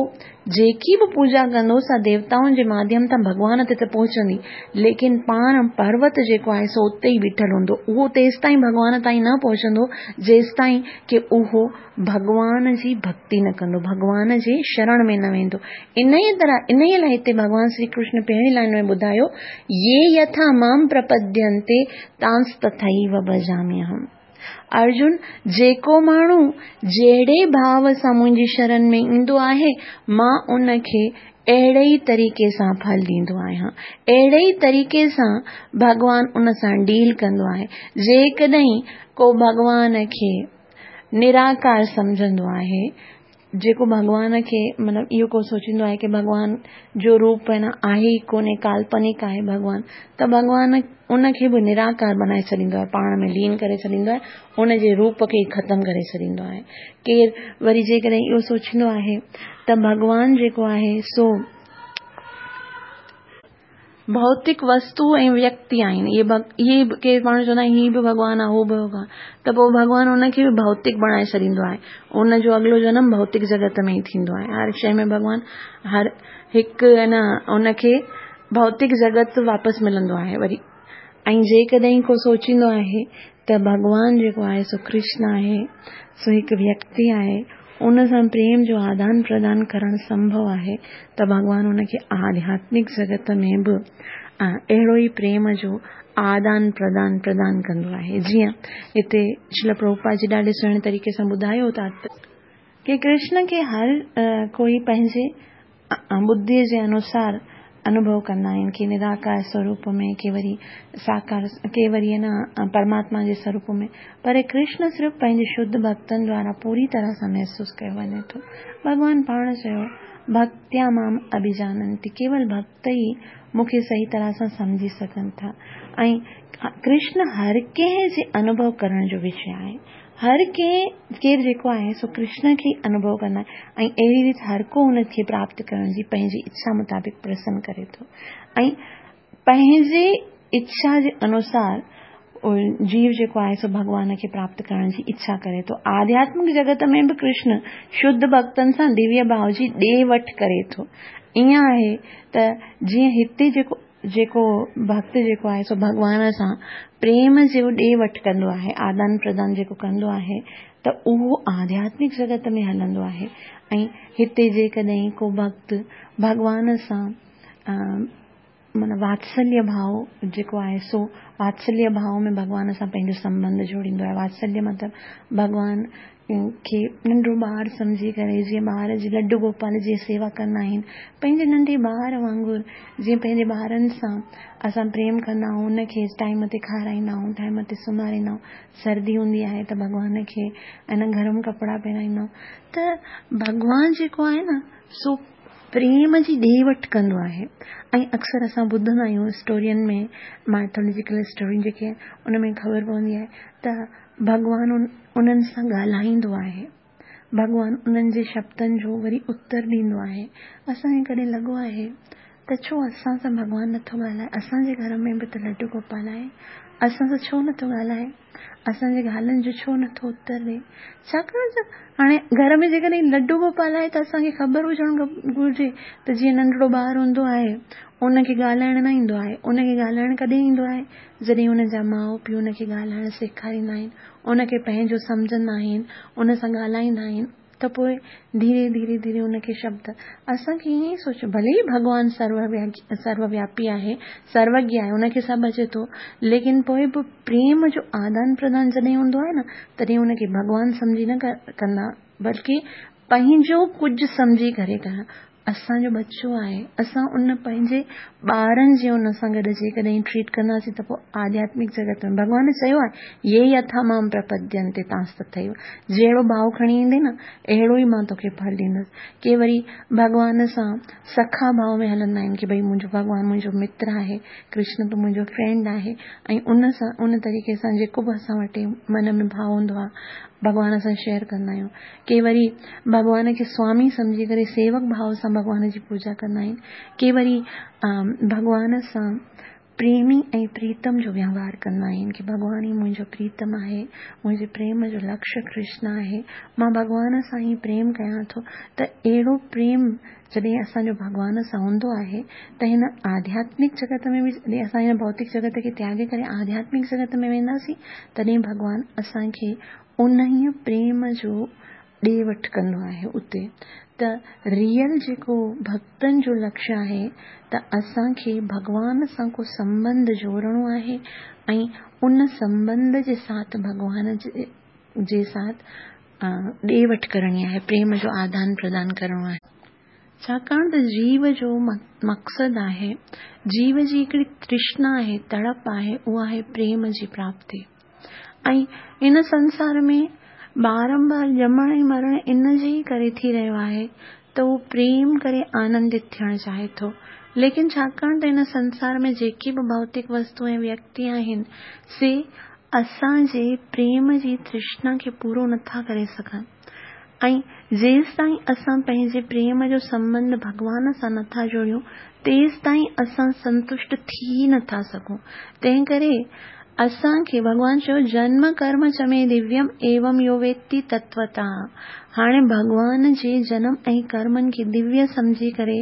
जेकी बि पूजा कंदो सा देवताउनि जे माध्यम सां भॻवान ते त पहुचंदी, लेकिन पाण पर्वत जेको आहे सो उते ई बीठल हूंदो। उहो तेसि ताईं भॻवान ताईं न पहुचंदो जेसि ताईं की उहो भॻवान जी भक्ति न कंदो, भॻवान जे शरण में न वेंदो। इन ई तरह इन ई लाइ हिते भॻवान श्री कृष्ण पहिरीं लाइन में ॿुधायो, ये यथा मां प्रपद्यन्ते तांस तथैव भजाम्यहम्। अर्जुन, जेको माण्हू जहिड़े भाव सां मुंहिंजी शरण में ईंदो आहे, मां उनखे अहिड़े ई तरीक़े सां फल ॾींदो आहियां, अहिड़े ई तरीक़े सां भॻवान उन सां डील कंदो आहे। जेकॾहिं को भॻवान खे निराकार सम्झंदो आहे, जेको भॻवान खे मतिलबु इहो को सोचींदो आहे की भॻवान जो रूप आहे न आहे ई कोन्हे, काल्पनिक आहे भॻवान, त भॻवान उनखे बि निराकार बनाए छॾींदो आहे, पाण में लीन करे छॾींदो आहे, उनजे रूप खे ई ख़तमु करे छॾींदो आहे। केरु वरी जेकॾहिं इहो सोचींदो आहे त भॻवान जेको आहे सो भौतिक वस्तु ऐं व्यक्ति आहिनि, इहे केरु माण्हू चवंदा आहिनि हीउ बि भॻवान आहे, हू बि भॻवान, त पोइ भॻवान उनखे बि भौतिक बणाए छॾींदो आहे। उनजो अॻिलो जनम भौतिक जगत में ई थींदो आहे। हर शइ में भॻवान हर हिकु न उनखे भौतिक जगत वापसि मिलंदो आहे वरी। ऐं जेकॾहिं को सोचींदो आहे त भॻवान जेको आहे सो कृष्ण आहे, सो हिकु व्यक्ति आहे, उन सां प्रेम जो आदान प्रदान करणु संभव आहे, त भॻवान उनखे आध्यात्मिक जगत में बि अहिड़ो ई प्रेम जो आदान प्रदान प्रदान कंदो आहे। जीअं हिते श्रील प्रभुपाद जी ॾाढे सुहिणे तरीक़े सां ॿुधायो था की कृष्ण खे हर कोई पंहिंजे बुद्धि जे अनुसार अनुभव कंदा आहिनि, के निराकार स्वरूप में, के वरी साकार, के वरी न परमात्मा जे स्वरूप में, पर कृष्ण सिर्फ़ पंहिंजे शुद्ध भक्तनि द्वारा पूरी तरह सां महसूसु कयो वञे थो। भॻवान पाण चयो, भक्त्या माम अभिजानन्ति, केवल भक्त ई मूंखे सही तरह सां सम्झी सघनि था। ऐं कृष्ण हर कंहिं जे अनुभव करण जो विषय आहे। हर कंहिं केरु जेको आहे सो कृष्ण खे अनुभव कंदा आहिनि ऐं अहिड़ी रीति हर को हुनखे प्राप्त करण जी पंहिंजी इच्छा मुताबिक़ प्रसन्न करे थो ऐं पंहिंजे इच्छा जे अनुसार जीव जेको आहे सो भॻवान खे प्राप्त करण जी इच्छा करे थो। आध्यात्मिक जगत में बि कृष्ण शुद्ध भक्तनि सां दिव्य भाव जी ॾे वठि करे थो। ईअं आहे त जीअं हिते जेको जेको भक्त जेको आहे सो भॻवान सां प्रेम जो ॾे वठि कंदो आहे, आदान प्रदान जेको कंदो आहे, त उहो आध्यात्मिक जगत में हलंदो आहे। ऐं हिते जेकॾहिं को भक्त भॻवान सां माना वात्सल्य भाव जेको आहे सो वात्सल्य भाव में भॻवान सां पंहिंजो संबंध जोड़ींदो आहे। वात्सल्य मतिलबु भॻवान खे नंढो ॿार सम्झी करे, जीअं ॿार जी लड्डू गोपाल जी सेवा कंदा आहिनि, पंहिंजे नंढे ॿार वांगुरु जीअं पंहिंजे ॿारनि सां असां प्रेम कंदा आहियूं, उनखे टाइम ते खाराईंदा आहियूं, टाइम ते सुम्हारींदा आहियूं, सर्दी हूंदी आहे त भॻवान खे ऐं गरम कपिड़ा पहिराईंदा आहियूं, त भॻवान जेको आहे न सो پريم جي ڏي وٺ ڪندو آهي ۽ اڪثر اسان ٻڌندا آهيون اسٽورين ۾ مائٿولوجيڪل اسٽوريون جيڪي آهن ان ۾ خبر پوندي آهي ته ڀڳوان انهن سان ڳالهائيندو آهي، ڀڳوان انهن جي شبدن جو وري اتر ڏيندو آهي. اسان کي ڪڏهن لڳو آهي ته ڇو اسان سان ڀڳوان نٿو ڳالهائي؟ اسان جي گهر ۾ به ته لڊو گوپال آهي، اسان سان ڇو نٿو ڳالهائي؟ اسان جي ڳالهين جو ڇو نٿو اتر ڏئي؟ ڇاڪاڻ ته هاڻي گهر ۾ جيڪڏهن لڊو گوپال آهي ته اسان کي خبر هجڻ گهرجي ته جيئن ننڍڙو ٻار هوندو آهي ان کي ڳالهائڻ نه ايندو آهي، ان کي ڳالهائڻ ڪڏهن ايندو آهي؟ جڏهن ان جا ماء پيء ان کي ڳالهائڻ سيکاريندا آهن، ان کي پنهنجو سمجهندا آهن، ان سان ڳالهائيندا آهن ته پوء ڌيري ڌيري ڌيري ان کي شبد اسان کي ائين ئي سوچيو ڀلي ئي ڀڳوان سرو وياپي آهي، سروگيه آهي، ان کي سڀ اچي ٿو ليڪن پوء به پريم جو آدان پردان جڏهن هوندو آهي نه تڏهن ان کي ڀڳوان سمجهي نه ڪندا بلڪه پنهنجو ڪجهه سمجهي ڪري ڪندا. اسان جو ٻچو آهي، اسان ان پنهنجي ٻارن جي ان سان گڏ جيڪڏهن ٽريٽ ڪنداسين ته پوء آڌياتمڪ جڳت ۾ ڀڳوان چيو آهي يي يٿا مام پرپدينتي تانس تٿيو جهڙو ڀاء کڻي ايندين نه اهڙو ئي مان توکي ڦل ڏيندس. ڪي وري ڀڳوان سان سکا ڀاء ۾ هلندا آهن ڪي ڀئي منهنجو ڀڳوان منهنجو متر آهي، ڪرشن به منهنجو فرينڊ آهي ۽ ان سان ان طريقي سان جيڪو به اسان وٽ من ۾ ڀاء هوندو آهي ڀڳوان سان شيئر ڪندا آهيون. ڪي وري ڀڳوان کي سوامي سمجهي ڪري سيوڪ ڀاو سان ڀڳوان جي پوڄا ڪندا آهن. ڪي وري ڀڳوان سان پريمي ۽ پريتم جو ويوهار ڪندا آهن ڪي ڀڳوان ئي منهنجو پريتم آهي، منهنجي پريم جو لڪشيه ڪرشن آهي، مان ڀڳوان سان ئي پريم ڪيان ٿو ته اهڙو پريم جڏهن اسان جو ڀڳوان سان هوندو آهي ته هن آڌياتمڪ جڳت ۾ به جڏهن اسان هن ڀوتڪ جڳت کي تياڳي ڪري آڌياتمڪ جڳت ۾ وينداسين تڏهن ڀڳوان اسان کي انهيء پريم جو ڏي وٺ ڪندو آهي اتي ته ريئل جيڪو ڀڳتن جو لڪشيه آهي ته اسان کي ڀڳوان سان ڪو سنٻنڌ جوڙڻو آهي ۽ ان سنٻنڌ جي ساٿ ڀڳوان جي ساٿ ڏي وٺ ڪرڻي آهي پريم جو آدان پردان ڪرڻو آهي. ڇاڪاڻ ته جيو جو مقصد آهي جيو جي هڪڙي ترشنا آهي تڙپ آهي اها آهي پريم جي پراپتي. ۽ هن سنسار ۾ بارنبار ڄمڻ ۽ مرڻ ان جي ئي ڪري ٿي رهيو آهي ته هو پريم ڪري آنندت ٿيڻ چاهي ٿو. ليڪن ڇاڪاڻ ته هن سنسار ۾ جيڪي به ڀوتڪ وستو ۽ ويڪتي آهن، سي اسان جي پريم جي ترشنا کي پورو نٿا ڪري سگهن ۽ جيستائين اسان پنهنجي پريم جو سنٻنڌ ڀڳوان سان نٿا جوڙيون، تيستائين اسان سنتشٽ ٿي نٿا سگهون. تنهنڪري اسان کي ڀڳوان چيو جنم ڪرم چ مي دويم ايوم يو ويتي تتوتاه هاڻي ڀڳوان جي جنم ۽ ڪرمن کي دويه سمجهي ڪري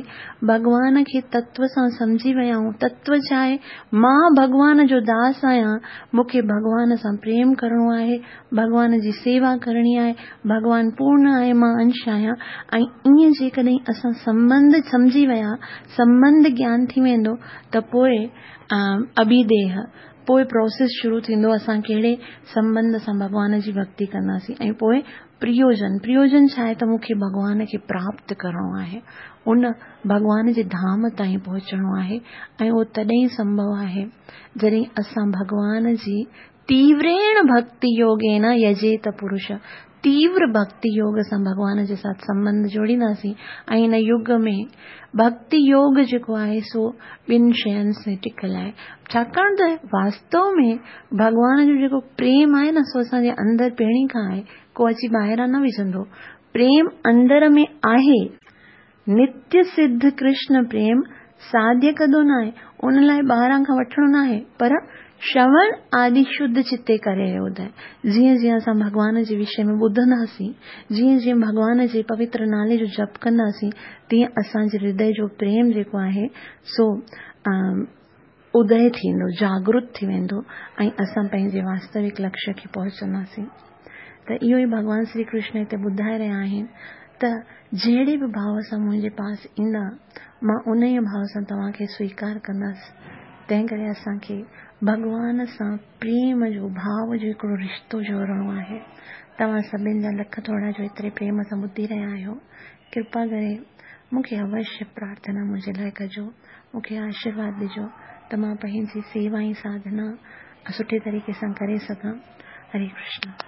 ڀڳوان کي تتو سان سمجهي ويا آهيون تتو ڇا آهي مان ڀڳوان جو داس آهيان مون کي ڀڳوان سان پريم ڪرڻو آهي ڀڳوان جي سيوا ڪرڻي آهي ڀڳوان پورن آهي مان انش آهيان ۽ ائين جيڪڏهن اسان سنٻنڌ سمجهي ويا سنٻنڌ گيان ٿي ويندو ته پوء اڀيديهه، پوء پروسيس شروع ٿيندو اسان ڪهڙي سنٻنڌ سان ڀڳوان جي ڀڳتي ڪنداسين ۽ پوء پريوجن، پريوجن ڇا آهي ته مون کي ڀڳوان کي پراپت ڪرڻو آهي، ان ڀڳوان جي ڌام تائين پهچڻو آهي ۽ اهو تڏهن سنڀو آهي جڏهن اسان ڀڳوان جي تيوريڻ ڀڳتي يوگين يجيت پرش، تيور ڀڳتي يوگ سان ڀڳوان جي ساٿ سنٻنڌ جوڙينداسين ۽ هن يگ ۾ ڀڳتي يوگ جيڪو آهي سو ٻن شين سين ٽڪل آهي ڇاڪاڻ ته واستو ۾ ڀڳوان جو جيڪو پريم آهي نه سو اسان جي اندر پهرين کان آهي ڪو اچي ٻاهران نه وجهندو پريم اندر ۾ آهي نتيه سڌ ڪرشن پريم ساڌيه ڪدو ناهي، ان لاء ٻاهران کان وٺڻو ناهي، پر شروڻ آدي شڌ چتي ڪري ادي. جيئن جيئن اسان ڀڳوان جي وشي ۾ ٻڌنداسين، جيئن جيئن ڀڳوان جي پوتر نالي جو جپ ڪنداسين، تيئن اسان جي هردي جو پريم جيڪو آهي سو ادي ٿيندو، جاڳرت ٿي ويندو ۽ اسان پنهنجي واستوڪ لڪشيه کي پهچنداسين. ته اهو ئي ڀڳوان شري ڪرشن هتي ٻڌائي رهيا آهن ته جهڙي به ڀاو سان منهنجي پاس ايندا، مان انهيء ڀاو سان توهان کي سويڪار ڪندس. تنهن ڪري اسان کي ڀڳوان سان پريم جو، ڀاو جو هڪڙو رشتو جوڙڻو آهي. توهان سڀن جا لک ٿورا جو ايتري پريم سان ٻڌي رهيا آهيو. ڪرپا ڪري مون کي اوشيه پرارٿنا منهنجي لاء ڪجو، مون کي آشيرواد ڏجو ته مان پنهنجي سيوا ۽ ساڌنا سٺي طريقي سان ڪري سگهان. هري ڪرشن.